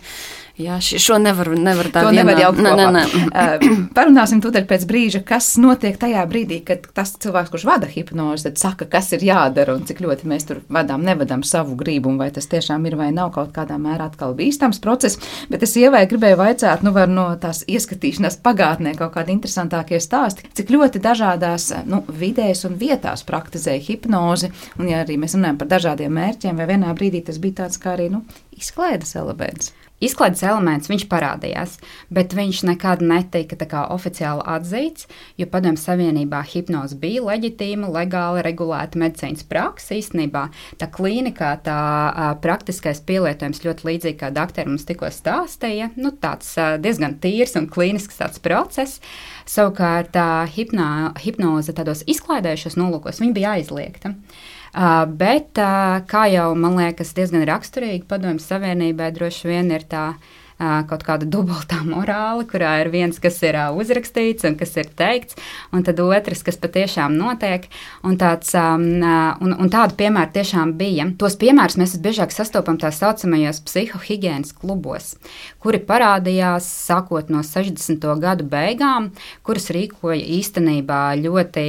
Speaker 5: Jā, šo nevar, nevar tā
Speaker 2: to
Speaker 5: vienā.
Speaker 2: nevar jaukt
Speaker 5: nē,
Speaker 2: kopā.
Speaker 5: Nē, nē.
Speaker 2: Uh, parunāsim tūdaļ pēc brīža, kas notiek tajā brīdī, kad tas cilvēks, kurš vada hipnozi, tad saka, kas ir jādara un cik ļoti mēs tur vadām, nevadām savu gribu, un vai tas tiešām ir vai nav kaut kādā mērā atkal bīstams process. Bet es Ievai gribēju vaicāt, nu var no tās ieskatīšanās pagātnē kaut kādi interesantākie stāsti, cik ļoti dažādās, nu, vidēs un vietās praktizēja hipnozi, un ja arī mēs runājam par dažādiem mērķiem, vai vienā brīdī tas bija tāds kā arī, nu, izklaides elements.
Speaker 6: Izklaides elements viņš parādījās, bet viņš nekad netika tā kā oficiāli atzīts, jo Padomju Savienībā hipnoze bija leģitīma, legāli regulēta medicīnas praksa. Īstenībā tā klīnikā, tā a, praktiskais pielietojums ļoti līdzīgi kā doktori mums tikko stāstīja, nu tāds a, diezgan tīrs un klīnisks tāds process. Savukārt tā hipnā, hipnoze tādos izklaidējušos nolūkos, viņa bija aizliegta. Uh, bet, uh, kā jau man liekas, diezgan raksturīgi Padomju Savienībai droši vien ir tā kaut kāda dubultā morāla, kurā ir viens, kas ir uzrakstīts un kas ir teikts, un tad otrs, kas patiešām notiek. Un, tāds, un, un tādu piemēru tiešām bija. Tos piemērus mēs biežāk sastopam tā saucamajos psihohigienas klubos, kuri parādījās sākot no sešdesmito gadu beigām, kuras rīkoja īstenībā ļoti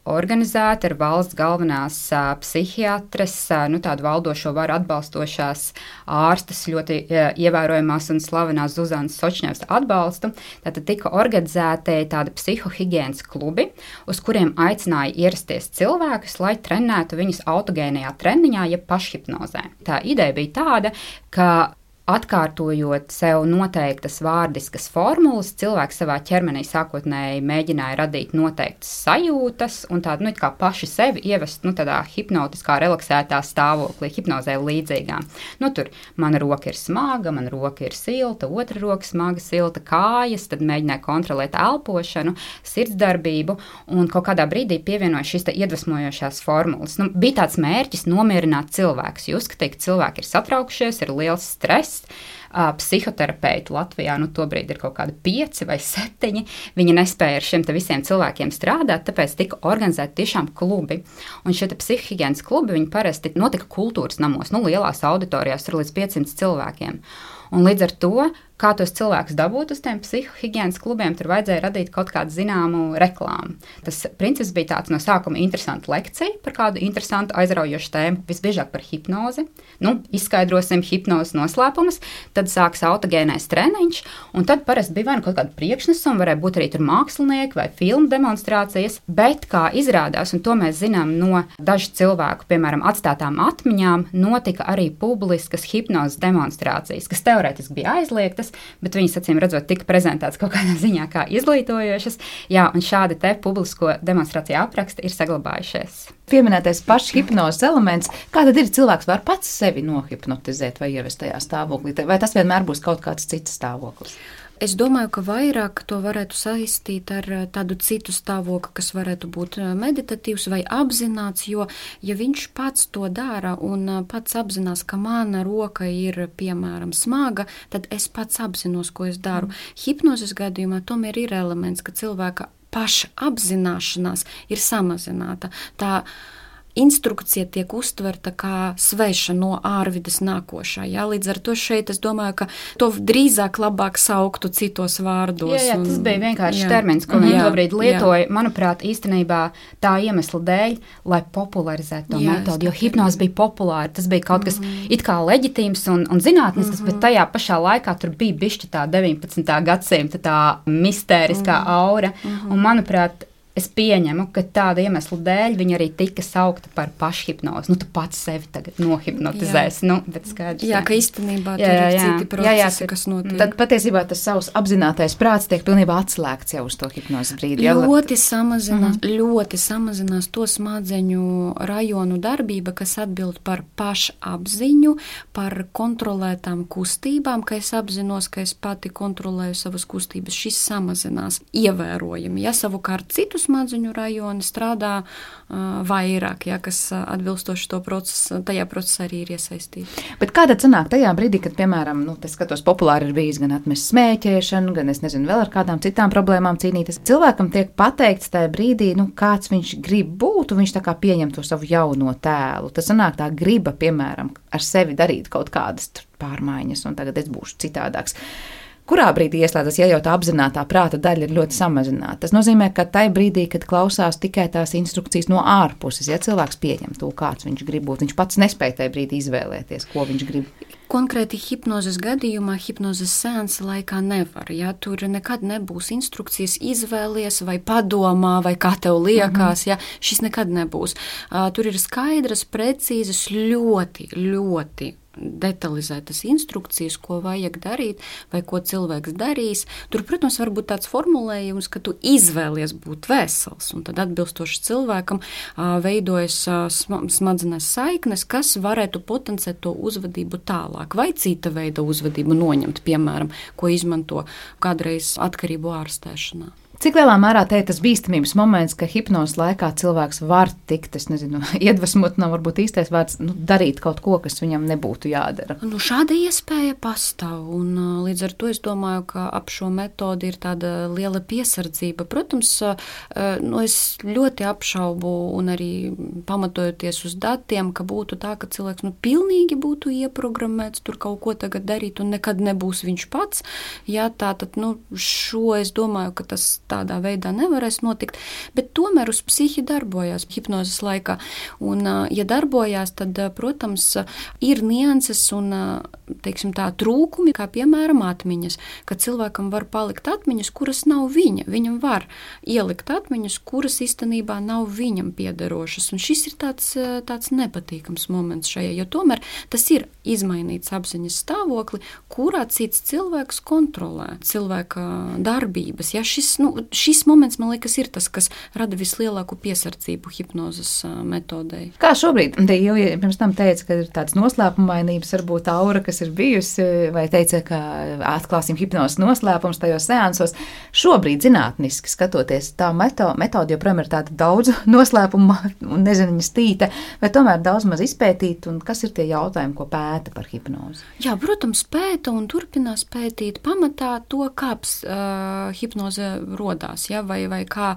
Speaker 6: organizēta ar valsts galvenās uh, psihiatres, uh, nu, tādu valdošo varu atbalstošās ārstas, ļoti uh, ievērojamās un slavenās Zuzanas Sočņevas atbalstu. Tātad tika organizēti tādi psihohigienas klubi, uz kuriem aicināja ierasties cilvēkus, lai trenētu viņus autogēnajā treniņā, jeb pašhipnozē. Tā ideja bija tāda, ka atkārtojot sev noteiktas vārdiskas formulas, cilvēks savā ķermenī sākotnēji mēģināja radīt noteiktas sajūtas un tādu, nu, kā paši sevi ievest, nu, tādā hipnotiskā, relaksētā stāvoklī, hipnozē līdzīgā. Nu, tur mana roka ir smaga, mana roka ir silta, otra roka smaga, silta kājas, tad mēģināja kontrolēt elpošanu, sirdsdarbību un kaut kādā brīdī pievienoja šīs te iedvesmojošās formulas. Nu, bija tāds mērķis nomierināt cilvēkus, jo uzskatīja, ka cilvēki ir satraukšies, ir liels stress. Uh, psihoterapeiti Latvijā, nu, tobrīd ir kaut kādi pieci vai septiņi. Viņi nespēja ar šiem te visiem cilvēkiem strādāt, tāpēc tika organizēti tiešām klubi. Un šie te psihohigienas klubi, viņi parasti notika kultūras namos, nu, lielās auditorijās, tur līdz piecsimt cilvēkiem. Un līdz ar to, kā tos cilvēkus dabūt uz tiem psihohigienas klubiem, tur vajadzēja radīt kaut kādu zināmu reklāmu. Tas princips bija tāds no sākuma interesanta lekcija par kādu interesantu aizraujošu tēmu, visbiežāk par hipnozi. Nu, izskaidrosim hipnozes noslēpumus, tad sāks autogēnais treniņš, un tad parasti bija vai nu kaut kāda priekšnesuma, varēja būt arī tur mākslinieki vai filmu demonstrācijas, bet kā izrādās, un to mēs zinām no dažu cilvēku, piemēram, atstātām atmiņām, notika arī publiskas hipnozes demonstrācijas, kas teorētiski bija aizliegtas, bet viņas, acīm redzot, tika prezentētas kaut kādā ziņā kā izglītojošas. Jā, un šādi te publisko demonstrāciju apraksti ir saglabājušies.
Speaker 2: Pieminētais pašhipnozes elements, kā tad ir cilvēks var pats sevi nohipnotizēt vai ievest tajā stāvoklī, vai tas vienmēr būs kaut kāds cits stāvoklis?
Speaker 5: Es domāju, ka vairāk to varētu saistīt ar tādu citu stāvokli, kas varētu būt meditatīvs vai apzināts, jo, ja viņš pats to dara un pats apzinās, ka mana roka ir, piemēram, smaga, tad es pats apzinos, ko es daru. Hipnozes gadījumā tomēr ir elements, ka cilvēka paša apzināšanās ir samazināta. Tā instrukcija tiek uztverta kā sveša no ārvides nākošā. Jā, līdz ar to šeit es domāju, ka to drīzāk labāk sauktu citos vārdos.
Speaker 6: Jā, jā, tas
Speaker 5: un,
Speaker 6: bija vienkārši
Speaker 5: jā.
Speaker 6: termins, ko viņi
Speaker 5: Jā,
Speaker 6: tobrīd lietoja.
Speaker 5: jā.
Speaker 6: Manuprāt, īstenībā tā iemesla dēļ, lai popularizētu to
Speaker 5: Jā,
Speaker 6: metodi, jo
Speaker 5: es
Speaker 6: hipnoze bija populāra. Tas bija kaut kas mm. it kā leģitīms un, un zinātnisks, mm-hmm. bet tajā pašā laikā tur bija bišķi tā deviņpadsmitā gadsimta tā mistēriskā mm. aura. Mm-hmm. Un, manuprāt, es pieņemu, ka tāda iemesla dēļ viņa arī tika saukta par pašhipnozi. Nu, tu pats sevi tagad nohipnotizēsi. Nu, bet skaidrs.
Speaker 5: Jā, ka īstenībā tur ir citi procesi, jā, jā, kas notiek.
Speaker 2: Tad patiesībā tas savs apzinātais prāts tiek pilnībā atslēgts jau uz to hipnozes brīdi.
Speaker 5: Ļoti samazinās, mm-hmm. ļoti samazinās to smadzeņu rajonu darbība, kas atbild par pašapziņu, par kontrolētām kustībām, ka es apzinos, ka es pati kontrolēju savas kustības. Šis samazinās ievērojami. Ja savukārt citus smadzeņu rajoni strādā uh, vairāk, ja, kas uh, atbilstoši to procesu, tajā procesā arī ir iesaistīti.
Speaker 2: Bet kā tad sanāk tajā brīdī, kad, piemēram, nu, tas skatos populāri ir bijis gan atmest smēķēšanu, gan es nezinu vēl ar kādām citām problēmām cīnīties. Cilvēkam tiek pateikts tajā brīdī, nu, kāds viņš grib būt, un viņš tā kā pieņem to savu jauno tēlu. Tas sanāk tā griba, piemēram, ar sevi darīt kaut kādas pārmaiņas, un tagad es būšu citādāks. Kurā brīdī ieslēdzas, ja jau tā apzinātā prāta daļa ir ļoti samazināta? Tas nozīmē, ka tajā brīdī, kad klausās tikai tās instrukcijas no ārpuses, ja cilvēks pieņem to, kāds viņš grib būt, viņš pats nespēja tajā brīdī izvēlēties, ko viņš grib.
Speaker 5: Konkrēti hipnozes gadījumā, hipnozes seansa laikā nevar. Ja? Tur nekad nebūs instrukcijas izvēlies vai padomā, vai kā tev liekas. Mm-hmm. Ja? Šis nekad nebūs. Uh, tur ir skaidras, precīzas, ļoti, ļoti detalizētas instrukcijas, ko vajag darīt vai ko cilvēks darīs. Tur, protams, var būt tāds formulējums, ka tu izvēlies būt vesels, un tad atbilstoši cilvēkam uh, veidojas uh, smadzenes saiknes, kas varētu potenciēt to uzvedību tālāk, vai cita veida uzvedību noņemt, piemēram, ko izmanto kādreiz atkarību ārstēšanā.
Speaker 2: Cik lielā mērā te ir tas bīstamības moments, ka hipnozes laikā cilvēks var tikt, es nezinu, iedvesmot, nav varbūt īstais vārds, nu, darīt kaut ko, kas viņam nebūtu jādara?
Speaker 5: Nu, šāda iespēja pastāv, un līdz ar to es domāju, ka ap šo metodi ir tāda liela piesardzība. Protams, nu, es ļoti apšaubu un arī pamatojoties uz datiem, ka būtu tā, ka cilvēks nu, pilnīgi būtu ieprogrammēts tur kaut ko tagad darīt un nekad nebūs viņš pats. Jā, tātad, nu, šo es domāju, ka tas tādā veidā nevarēs notikt, bet tomēr uz psihi darbojās hipnozes laikā. Un, ja darbojās, tad, protams, ir nianses un, teiksim tā, trūkumi, kā piemēram atmiņas, ka cilvēkam var palikt atmiņas, kuras nav viņa. Viņam var ielikt atmiņas, kuras īstenībā nav viņam piederošas. Un šis ir tāds, tāds nepatīkams moments šajā, jo tomēr tas ir izmainīts apziņas stāvokli, kurā cits cilvēks kontrolē cilvēka darbības. Ja šis, nu, šis moments, man liekas, ir tas, kas rada vislielāku piesardzību hipnozes metodei.
Speaker 2: Kā šobrīd? Te jau pirms tam teica, ka ir tāds noslēpumainības, varbūt aura, kas ir bijusi, vai teica, ka atklāsim hipnozes noslēpums tajos seansos. Šobrīd zinātniski skatoties, tā meto, metode joprojām ir tāda daudz noslēpuma un neziņas tīta, vai tomēr daudz maz izpētīt, un kas ir tie jautājumi, ko pēta par hipnozi?
Speaker 5: Jā, protams, pēta un turpinās pētīt pamatā to, kāps uh, hipnoze rodās, ja, vai, vai kā,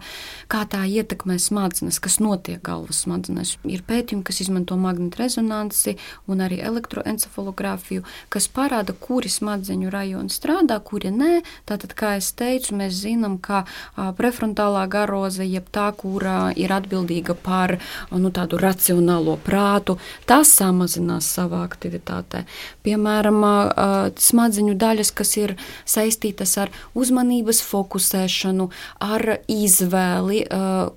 Speaker 5: kā tā ietekmē smadzenes, kas notiek galvas smadzenes. Ir pētījumi, kas izmanto magnetresonanci un arī elektroencefalogrāfiju, kas parāda, kuri smadzeņu rajoni strādā, kuri nē. Tātad, kā es teicu, mēs zinām, ka uh, prefrontālā garoze, jeb tā, kura ir atbildīga par nu, tādu racionālo prātu, tā samazinās savā aktivitātē. Piemēram, uh, smadzeņu daļas, kas ir saistītas ar uzmanības fokusēšanu, ar izvēli,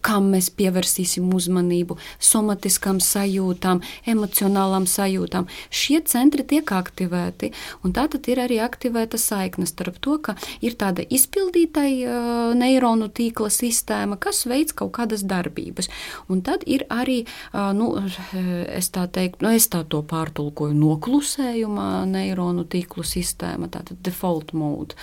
Speaker 5: kam mēs pievērsīsim uzmanību, somatiskām sajūtām, emocionālām sajūtām. Šie centri tiek aktivēti, un tātad ir arī aktivēta saikne starp to, ka ir tāda izpildītai neironu tīkla sistēma, kas veic kaut kādas darbības. Un tad ir arī, nu, es tā teiktu, nu, es tā to pārtulkoju, noklusējuma neironu tīklu sistēma, tātad default mode.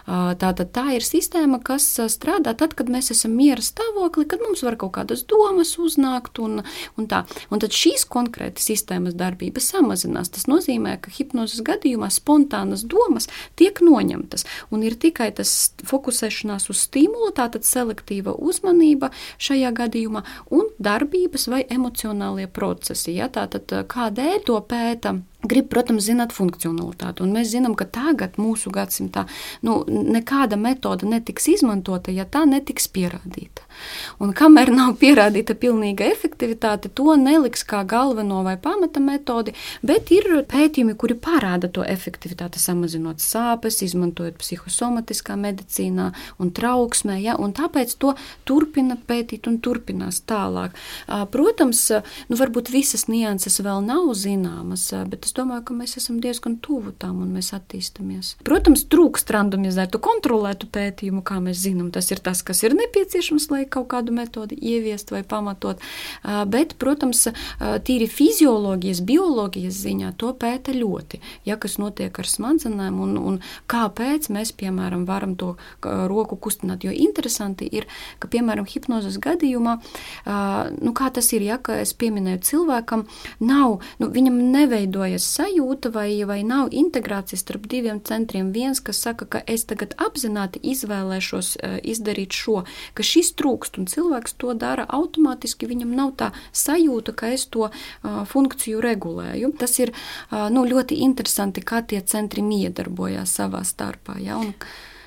Speaker 5: Tātad tā ir sistēma, kas strādā tad, kad mēs esam miera stāvokli, kad mums var kaut kādas domas uznākt un, un tā. Un tad šīs konkrēti sistēmas darbības samazinās. Tas nozīmē, ka hipnozes gadījumā spontānas domas tiek noņemtas un ir tikai tas fokusēšanās uz stimulu, tātad selektīva uzmanība šajā gadījumā un darbības vai emocionālie procesi. Ja? Tātad kādēļ to pēta? Grib, protams, zināt funkcionalitāti, un mēs zinām, ka tagad mūsu gadsimtā nu, nekāda metoda netiks izmantota, ja tā netiks pierādīta. Un kamēr nav pierādīta pilnīga efektivitāte, to neliks kā galveno vai pamata metodi, bet ir pētījumi, kuri parāda to efektivitāti, samazinot sāpes, izmantojot psihosomatiskā medicīnā un trauksmē, ja, un tāpēc to turpina pētīt un turpinās tālāk. Protams, nu, varbūt visas nianses vēl nav zināmas, bet es domāju, ka mēs esam diezgan tuvu tām un mēs attīstamies. Protams, trūkst randomizētu, kontrolētu pētījumu, kā mēs zinām, tas ir tas, kas ir nepieciešams, lai kaut kādu metodi ieviest vai pamatot, bet, protams, tīri fizioloģijas, bioloģijas ziņā to pēta ļoti, ja kas notiek ar smadzenēm un, un kāpēc mēs, piemēram, varam to roku kustināt, jo interesanti ir, ka, piemēram, hipnozes gadījumā, nu, kā tas ir, ja, ka es pieminēju cilvēkam, nav, nu, viņam neveidojas sajūta vai, vai nav integrācijas starp diviem centriem. Viens, kas saka, ka es tagad apzināti izvēlēšos izdarīt šo, ka šis trūkst un cilvēks to dara automātiski, viņam nav tā sajūta, ka es to uh, funkciju regulēju. Tas ir uh, nu, ļoti interesanti, kā tie centri miedarbojās savā starpā. Ja? Un,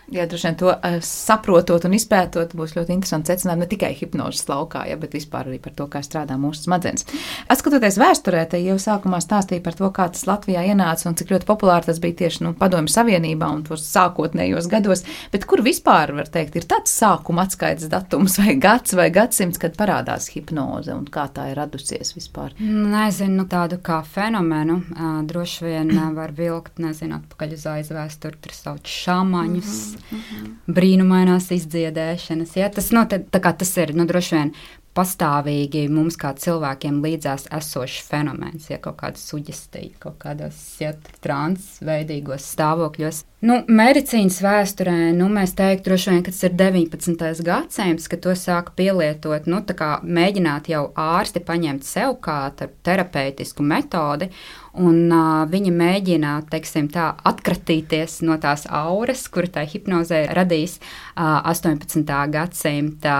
Speaker 2: Jā, droši vien to uh, saprotot un izpētot, būs ļoti interesanti secinājumi ne tikai hipnozes laukā, ja, bet vispār arī par to, kā strādā mūsu smadzenes. Atskatoties vēsturē, te jau sākumā stāstīja par to, kā tas Latvijā ienāca un cik ļoti populāri tas bija tieši nu, Padomju Savienībā un tos sākotnējos gados, bet kur vispār, var teikt, ir tāds sākuma atskaites datums vai gads vai gadsimts, kad parādās hipnoze un kā tā ir radusies vispār?
Speaker 6: Nezinu, nu, tādu kā fenomenu uh, droši vien uh, var vilkt, nezinu, atpakaļ uz aizvēsturi, tur sauc šāmaņus. Mm-hmm. Mm-hmm. Brīnumainās izdziedēšanas. Ja? Tas, no, tā, tā kā tas ir nu, droši vien pastāvīgi mums kā cilvēkiem līdzās esošs fenomens, ja kaut kāda suģestija, kaut kādos ja, transveidīgos stāvokļos. Nu, medicīnas vēsturē nu, mēs teiktu, droši vien, ka tas ir deviņpadsmitais gadsimts, kad to sāka pielietot, nu, tā kā mēģināt jau ārsti paņemt sev kā terapeitisku metodi, un uh, viņi mēģina, teiksim tā, atkratīties no tās auras, kuru tā hipnozē radīs uh, astoņpadsmitā gadsimta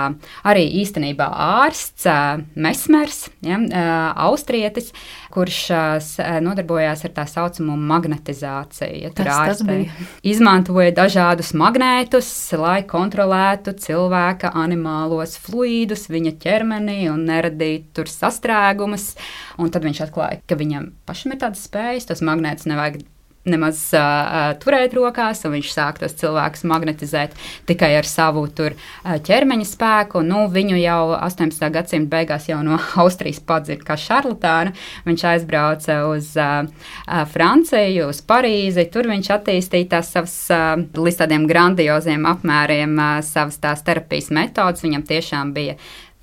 Speaker 6: arī īstenībā ārsts uh, Mesmers, ja, uh, austrietis, kurš uh, nodarbojās ar tā saucamo magnetizāciju. Ja, tur ārstē izmantoja dažādus magnētus, lai kontrolētu cilvēka animālos fluīdus viņa ķermenī un neradītu tur sastrēgumus. Un tad viņš atklāja, ka viņam pašam ir tādas spējas, tos magnētus nevajag nemaz uh, turēt rokās, un viņš sāk tos cilvēkus magnetizēt tikai ar savu tur uh, ķermeņa spēku. Nu, viņu jau astoņpadsmitā gadsimta beigās jau no Austrijas padzird kā šarlatānu. Viņš aizbrauca uz uh, uh, Franciju, uz Parīzi, tur viņš attīstīja tās savas, uh, līdz tādiem grandioziem apmēriem, uh, savas tās terapijas metodas. Viņam tiešām bija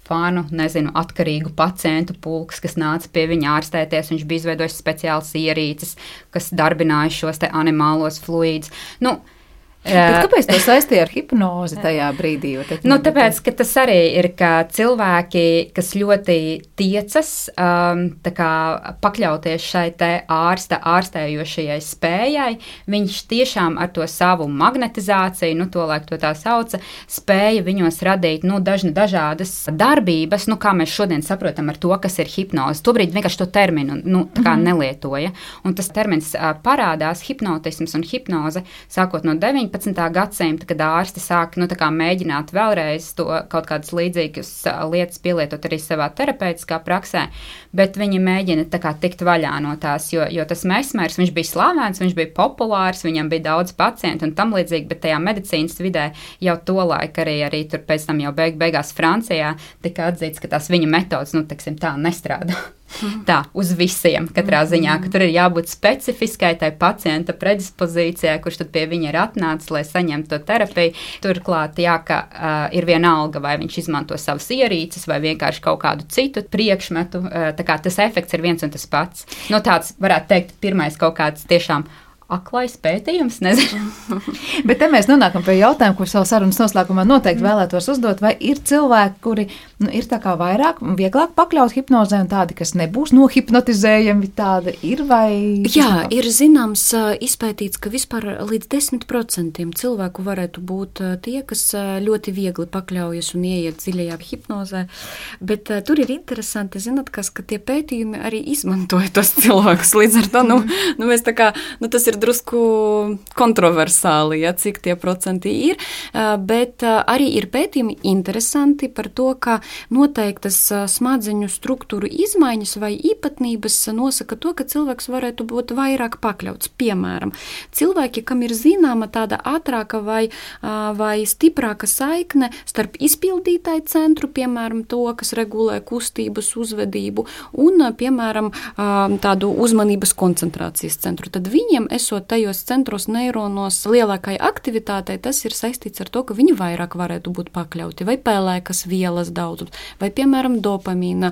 Speaker 6: fanu, nezinu, atkarīgu pacientu pulks, kas nāca pie viņa ārstēties. Viņš bija izveidojis speciāls ierīces, kas darbināja šos te animālos fluīdus. Nu,
Speaker 2: Bet kāpēc to saistīja ar hipnozi tajā brīdī?
Speaker 6: Nu, tāpēc, ka tas arī ir, ka cilvēki, kas ļoti tiecas um, tā kā pakļauties šai te ārsta ārstējošajai spējai, viņš tiešām ar to savu magnetizāciju, nu, to laik to tā sauca, spēja viņos radīt, nu, dažna, dažādas darbības, nu, kā mēs šodien saprotam ar to, kas ir hipnoze. Tobrīd vienkārši to terminu, nu, tā kā mm-hmm. nelietoja. Un tas termins uh, parādās, hipnotisms un hipnoze, sākot no deviņpadsmitā gadsimta, kad ārsti sāk nu, tā kā mēģināt vēlreiz to kaut kādas līdzīgas lietas pielietot arī savā terapeitiskā praksē, bet viņi mēģina tā kā tikt vaļā no tās, jo, jo tas Mesmers, viņš bija slavens, viņš bija populārs, viņam bija daudz pacientu un tam līdzīgi, bet tajā medicīnas vidē jau to laika arī, arī tur pēc tam jau beig, beigās Francijā tika atzīts, ka tās viņa metodas, nu, teksim, tā nestrādā. Tā, uz visiem katrā ziņā, ka tur ir jābūt specifiskai tai pacienta predispozīcijai, kurš tad pie viņa ir atnācis, lai saņemtu to terapiju. Turklāt, jā, ka uh, ir vienalga, vai viņš izmanto savas ierīces vai vienkārši kaut kādu citu priekšmetu, uh, tā kā tas efekts ir viens un tas pats. Nu, tāds, varētu teikt, pirmais kaut kāds tiešām aklais pētījums, nezinu.
Speaker 2: Bet te mēs nonākam pie jautājuma, ko savu sarunas noslēgumā noteikti vēlētos uzdot, vai ir cilvēki, kuri nu, ir tā kā vairāk, vieglāk pakļaut hipnozē un tādi, kas nebūs nohipnotizējami, tāda ir vai...
Speaker 5: Jā, ir zināms izpētīts, ka vispār līdz desmit procentiem cilvēku varētu būt tie, kas ļoti viegli pakļaujas un ieiet dziļajā hipnozē, bet uh, tur ir interesanti, zināt, kas, ka tie pētījumi arī izmantoja tos cilvēkus, līdz ar to, nu, nu mēs tā kā, nu tas ir drusku kontroversāli, ja, cik tie procenti ir, bet arī ir pētījumi interesanti par to, ka noteiktas smadzeņu struktūru izmaiņas vai īpatnības nosaka to, ka cilvēks varētu būt vairāk pakļauts. Piemēram, cilvēki, kam ir zināma tāda ātrāka vai, vai stiprāka saikne starp izpildītāju centru, piemēram, to, kas regulē kustības uzvedību, un, piemēram, tādu uzmanības koncentrācijas centru, tad viņiem esot tajos centros neironos lielākai aktivitātei, tas ir saistīts ar to, ka viņi vairāk varētu būt pakļauti, vai pēlēkas vielas daudzums, vai, piemēram, dopamīna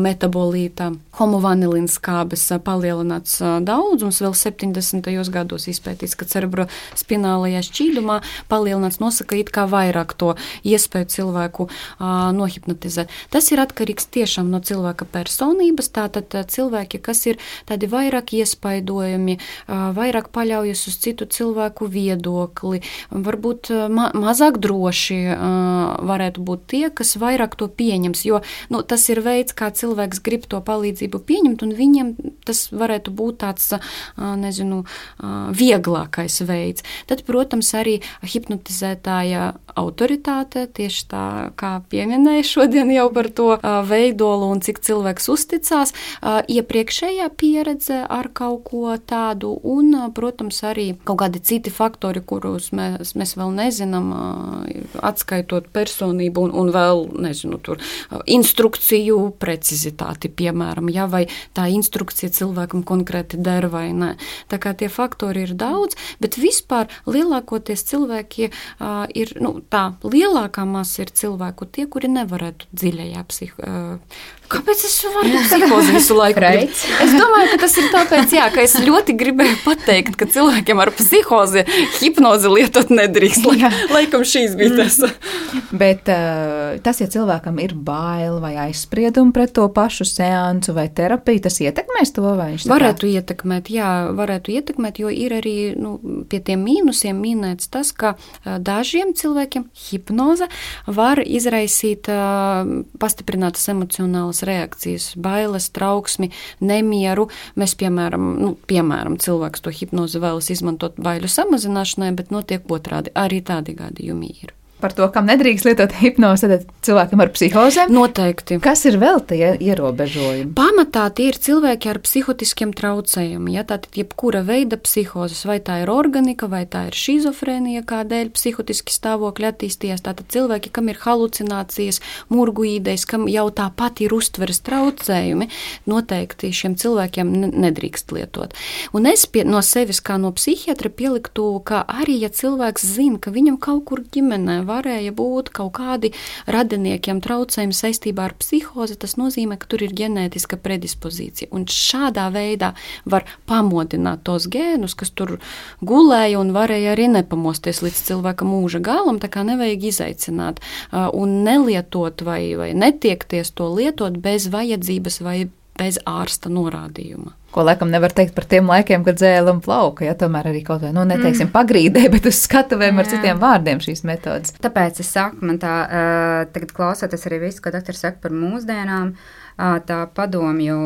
Speaker 5: metabolīta, homovanilīna skābes palielināts daudzums, vēl septiņdesmitajos gados izpētīts, ka cerebrospinālajā šķīdumā palielināts nosaka it kā vairāk to iespēju cilvēku uh, nohipnotizēt. Tas ir atkarīgs tiešām no cilvēka personības, tātad cilvēki, kas ir tādi vairāk iespaidojumi, uh, vairāk paļaujas uz citu cilvēku viedokli, varbūt ma mazāk droši uh, varētu būt tie, kas vairāk to pieņems, jo nu, tas ir veids, kā cilvēks grib to palīdzību pieņemt, un viņiem tas varētu būt tāds, uh, nezinu, uh, vieglākais veids. Tad, protams, arī hipnotizētāja autoritāte, tieši tā, kā pieminēja šodien jau par to uh, veidolu un cik cilvēks uzticās, uh, iepriekšējā pieredze ar kaut ko tādu, un, protams, arī kaut kādi citi faktori, kurus mēs, mēs vēl nezinām, atskaitot personību un, un vēl, nezinu, tur instrukciju precizitāti, piemēram, ja, vai tā instrukcija cilvēkam konkrēti der vai ne. Tā kā tie faktori ir daudz, bet vispār lielākoties cilvēki uh, ir, nu, tā lielākā masa ir cilvēku tie, kuri nevarētu dziļajā psiho... Uh, Kāpēc es varu psihozi visu laiku? Es domāju, ka tas ir tāpēc, jā, ka es ļoti gribēju pateikt, pateikt, ka cilvēkiem ar psihozi hipnozi lietot nedrīkst. Lai, laikam šīs bija tas.
Speaker 2: Bet uh, tas, ja cilvēkam ir bail vai aizspriedumi pret to pašu seansu vai terapiju, tas ietekmēs to, vai viņš tā kā?
Speaker 5: Varētu ietekmēt, jā, varētu ietekmēt, jo ir arī nu, pie tiem mīnusiem minēts tas, ka uh, dažiem cilvēkiem hipnoze var izraisīt uh, pastiprinātas emocionālas reakcijas, bailes, trauksmi, nemieru. Mēs, piemēram, nu, piemēram, cilvēks to hipnozi vēlas izmantot baiļu samazināšanai, bet notiek otrādi. Arī tādi gadījumi ir.
Speaker 2: Par to, kam nedrīkst lietot hipnozi, tad cilvēkam ar psihozēm.
Speaker 5: Noteikti.
Speaker 2: Kas ir vēl tie ierobežojumi?
Speaker 5: Pamatā tie ir cilvēki ar psihotiskiem traucējumiem. Ja, tātad jebkura veida psihozes, vai tā ir organika, vai tā ir šizofrēnija, kādēļ psihotiski stāvokļi attīstījās. Tātad cilvēki, kam ir halucinācijas, murguīdejas, kam jau tāpat ir uztveres traucējumi, noteikti šiem cilvēkiem nedrīkst lietot. Un es pie, no sevis kā no psihiatra pieliktu, ka arī, ja cilvēks zina, ka viņam kaut kur ģimenē varēja būt kaut kādi radiniekiem traucējumi saistībā ar psihozi, tas nozīmē, ka tur ir ģenētiska predispozīcija. Un šādā veidā var pamodināt tos gēnus, kas tur gulēja un varēja arī nepamosties līdz cilvēka mūža galam, tā kā nevajag izaicināt un nelietot vai, vai netiekties to lietot bez vajadzības vai bez ārsta norādījuma.
Speaker 2: Ko laikam nevar teikt par tiem laikiem, kad dzēla un plauka, ja tomēr arī kaut vai, nu, neteiksim, mm. pagrīdē, bet uz skatuvēm ar citiem vārdiem šīs metodas.
Speaker 6: Tāpēc es saku, man tā, uh, tagad klausoties arī visu, ko doktors saka par mūsdienām, uh, tā padomju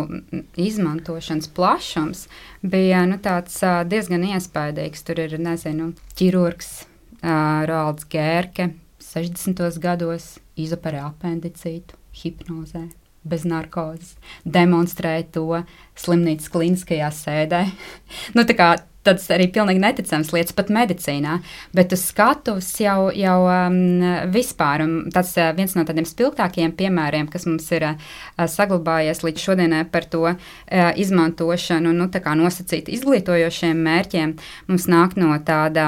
Speaker 6: izmantošanas plašums bija, nu, tāds uh, diezgan iespaidīgs. Tur ir, nezinu, ķirurgs uh, Roalds Gērke, sešdesmitos gados izoperē apendicītu hipnozē. Bez narkozes, demonstrēja to slimnīcas kliniskajā sēdē. Nu, tā kā tas arī pilnīgi neticams lietas pat medicīnā, bet uz skatuves jau, jau um, vispār, un tas uh, viens no tādiem spilgtākajiem piemēriem, kas mums ir uh, saglabājies līdz šodienai par to uh, izmantošanu, nu, tā kā nosacīt izglītojošiem mērķiem, mums nāk no tāda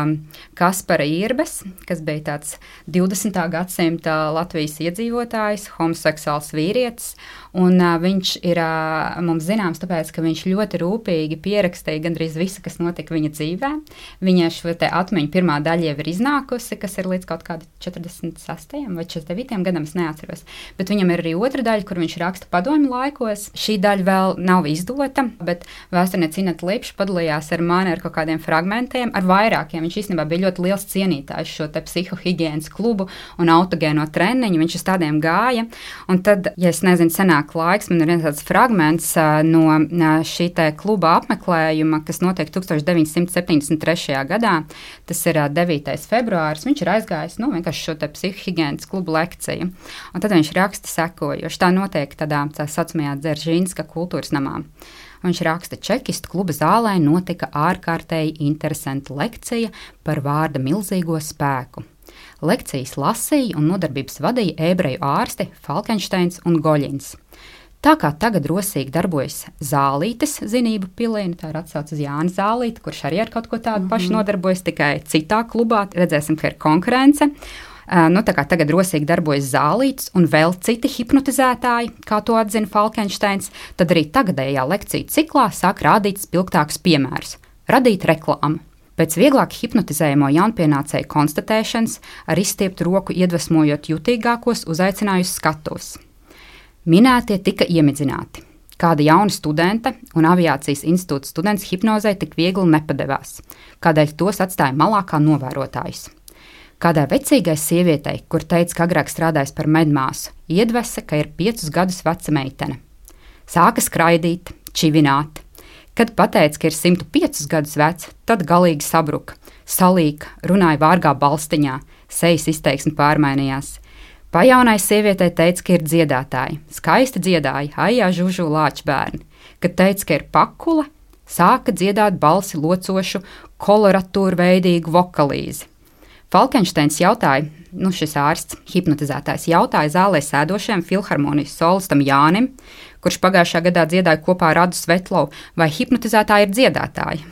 Speaker 6: Kaspara Irbes, kas bija tāds divdesmitā gadsimta Latvijas iedzīvotājs, homoseksuāls vīrietis, un uh, viņš ir uh, mums zināms tāpēc, ka viņš ļoti rūpīgi pierakstīja gandrīz visu, kas notika viņa dzīvē. Viņa šo te atmiņu pirmā daļa jau ir iznākusi, kas ir līdz kaut kādi četrdesmit sastajam vai četrdesmit devītajam gadam, es neatceros. Bet viņam ir arī otra daļa, kur viņš raksta padomju laikos. Šī daļa vēl nav izdota, bet vēsturniece Ineta Lipša padalījās ar mani ar kaut kādiem fragmentiem, ar vairākiem. Viņš īstenībā bija ļoti liels cienītājs šo te psihohigienas klubu un autogēno treniņu. Viņš uz tādiem gāja. Un tad, ja es nezinu, senāk laiks, man ir viens tāds fragments no šī te kluba apmeklējuma, kas notiek tūkstoš deviņsimt septiņdesmit trešajā gadā, tas ir devītais februāris, viņš ir aizgājis, nu, vienkārši šo te psihohigienas klubu lekciju. Un tad viņš raksta sekojoši, tā notiek tādā, tā saucamajā Dzeržinska kultūras namā. Viņš raksta, čekistu kluba zālē notika ārkārtēji interesanta lekcija par vārda milzīgo spēku. Lekcijas lasīja un nodarbības vadīja ebreju ārsti Falkensteins un Goļins. Tā kā tagad rosīgi darbojas Zālītes zinību pilī, tā ir atsauce uz Jāni Zālīti, kurš arī ar kaut ko tādu mm-hmm. pašu nodarbojas, tikai citā klubā, redzēsim, ka ir konkurence. Uh, nu, tā kā tagad rosīgi darbojas Zālītes un vēl citi hipnotizētāji, kā to atzina Falkensteins, tad arī tagadējā lekciju ciklā sāk rādīt spilgtākus piemērus, radīt reklāmu. Pēc vieglāk hipnotizējamo jaunpienācēju konstatēšanas ar izstieptu roku iedvesmojot jutīgākos uzaicinājusi skatuves. Minētie tika iemidzināti. Kāda jauna studente un aviācijas institūta students hipnozē tik viegli nepadevās, kādēļ tos atstāja malā kā novērotājus. Kādai vecīgai sievietei, kur teica, ka agrāk strādājis par medmāsu, iedvesa, ka ir piecus gadus veca meitene. Sāka skraidīt, čivināt. Kad pateica, ka ir simt piecus gadus veca, tad galīgi sabruka, salīka, runāja vārgā balstiņā, sejas izteiksme pārmainījās. Pajaunai sievietei teica, ka ir dziedātāji, skaisti dziedāja, aijā žužu lāčbērni. Kad teica, ka ir pakule, sāka dziedāt balsi locošu, koloratūru veidīgu vokalīzi. Falkensteins jautāja, nu šis ārsts, hipnotizētājs, jautāja zālē sēdošajam filharmonijas solistam Jānim, kurš pagājušā gadā dziedāja kopā ar Adu Svetlovu, vai hipnotizētāji ir dziedātāji.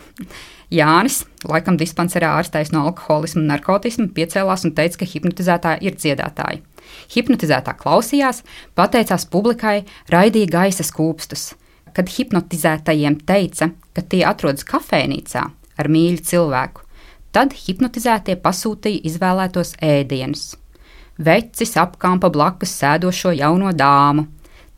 Speaker 6: Jānis, laikam dispanserā ārstējis no alkoholismu un narkotismu, piecēlās un teica, ka hipnotizētāji ir dziedātāji. Hipnotizētā klausījās, pateicās publikai, raidīja gaisa skūpstus. Kad hipnotizētajiem teica, ka tie atrodas kafejnīcā, ar mīļu cilvēku. Tad hipnotizētie pasūtīja izvēlētos ēdienus. Vecis apkampa blakus sēdošo jauno dāmu,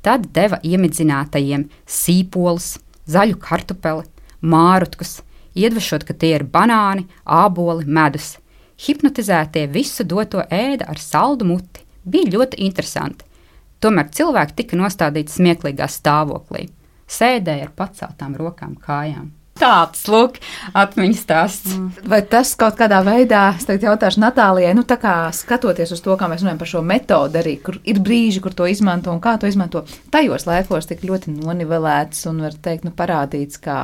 Speaker 6: tad deva iemidzinātajiem sīpolus, zaļu kartupeli, mārutkus, iedvešot, ka tie ir banāni, āboli, medus. Hipnotizētie visu doto ēda ar saldu muti. Bija ļoti interesanti. Tomēr cilvēki tika nostādīti smieklīgā stāvoklī. Sēdēja ar paceltām rokām kājām. Tāds, lūk, atmiņas stāsts. Mm.
Speaker 2: Vai tas kaut kādā veidā, es tagad jautāšu Natālijai, nu tā kā skatoties uz to, kā mēs runājam par šo metodu arī, kur ir brīži, kur to izmanto un kā to izmanto, tajos laikos tik ļoti nonivelēts un, var teikt, nu parādīts kā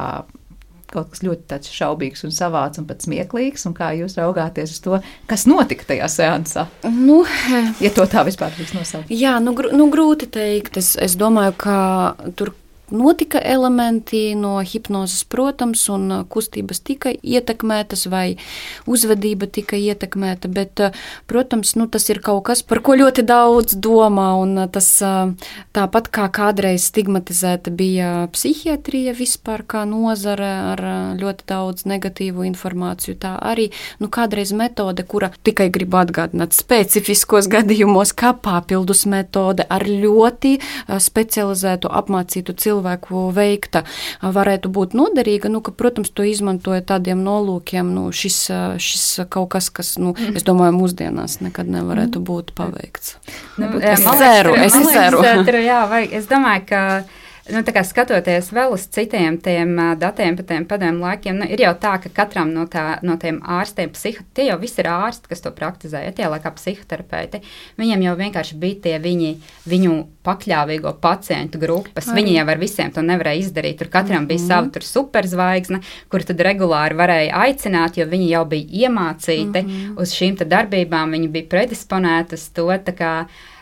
Speaker 2: kaut kas ļoti tāds šaubīgs un savāds un pat smieklīgs, un kā jūs raugāties uz to, kas notika tajā seansā?
Speaker 5: Nu,
Speaker 2: ja to tā vispār drīkst nosaukt.
Speaker 5: Jā, nu, gr nu grūti teikt. Es, es domāju, ka tur notika elementi no hipnozes, protams, un kustības tika ietekmētas vai uzvedība tika ietekmēta, bet, protams, nu, tas ir kaut kas, par ko ļoti daudz domā, un tas tāpat kā kādreiz stigmatizēta bija psihiatrija vispār kā nozare ar ļoti daudz negatīvu informāciju, tā arī, nu, kādreiz metode, kura tikai gribu atgādināt specifiskos gadījumos, kā papildus metode ar ļoti specializētu apmācītu cilvēku, cilvēku veikta, varētu būt noderīga, nu, ka, protams, to izmantoja tādiem nolūkiem, nu, šis, šis kaut kas, kas, nu, es domāju, mūsdienās nekad nevarētu būt paveikts.
Speaker 6: Nu,
Speaker 5: es ceru, es ceru.
Speaker 6: Jā, vai, es domāju, ka Nu, tā kā skatoties vēl uz citiem tiem datiem par tiem padomu laikiem, nu, ir jau tā, ka katram no, tā, no tiem ārstiem, psiho, tie jau visi ir ārsti, kas to praktizē, ja tie laikā psihoterapeiti, viņiem jau vienkārši bija tie viņi, viņu pakļāvīgo pacientu grupas, Ai. Viņi jau ar visiem to nevarēja izdarīt, tur katram bija mm. sava tur superzvaigzne, kur tad regulāri varēja aicināt, jo viņi jau bija iemācīti mm. uz šīm te darbībām, viņi bija predisponēti uz to, tā kā,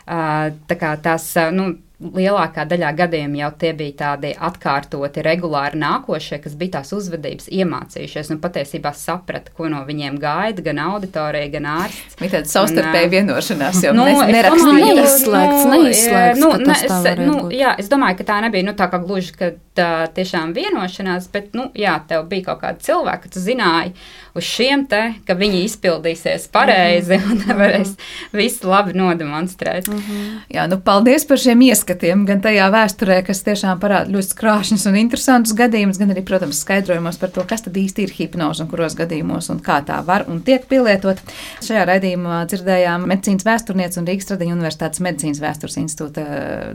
Speaker 6: tā kā tās, nu, lielākā daļā gadījumā jau tie bija tādi atkārtoti, regulāri nākošie, kas bija tās uzvedības iemācījušies un patiesībā saprata, ko no viņiem gaida gan auditorija, gan ārsts.
Speaker 2: Bija tāda savstarpēja vienošanās jau
Speaker 6: nu,
Speaker 2: nerakstīja.
Speaker 5: Neizslēgts, neizslēgts,
Speaker 6: nu,
Speaker 5: ka tas tā varētu
Speaker 6: nu,
Speaker 5: būt.
Speaker 6: Jā, es domāju, ka tā nebija nu, tā kā gluži, ka tā tiešām vienošanās, bet, nu, jā, tev bija kaut kāda cilvēka, ka tu zināji uz šiem te, ka viņi izpildīsies pareizi un varēs visu labi nodemonstrēt.
Speaker 2: Jā, nu, paldies par šiem ieskatiem, gan tajā vēsturē, kas tiešām parāda ļoti skrāšņus un interesantus gadījumus, gan arī, protams, skaidrojumos par to, kas tad īsti ir hipnoze un kuros gadījumos un kā tā var un tiek pielietot. Šajā raidījumā dzirdējām medicīnas vēsturnieci un Rīgas Tradiņu Universitātes medicīnas vēstures institūta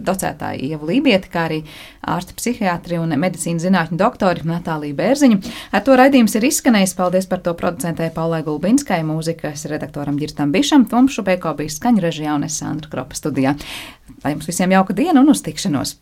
Speaker 2: docētāju Ievu Lībieti, kā arī ārsti psihiatri un medicīnas zinātņu doktori Natāliju Bērziņu. Ar to raidījums ir izskanējis. Paldies par to producentei Paulai Gulbinskai, mūzikas redaktoram Ģirstam Bišam, Toms Šubēko bija skaņu režijā un es Sandra Kropa studijā. Lai jums visiem jauka diena un uz tikšanos!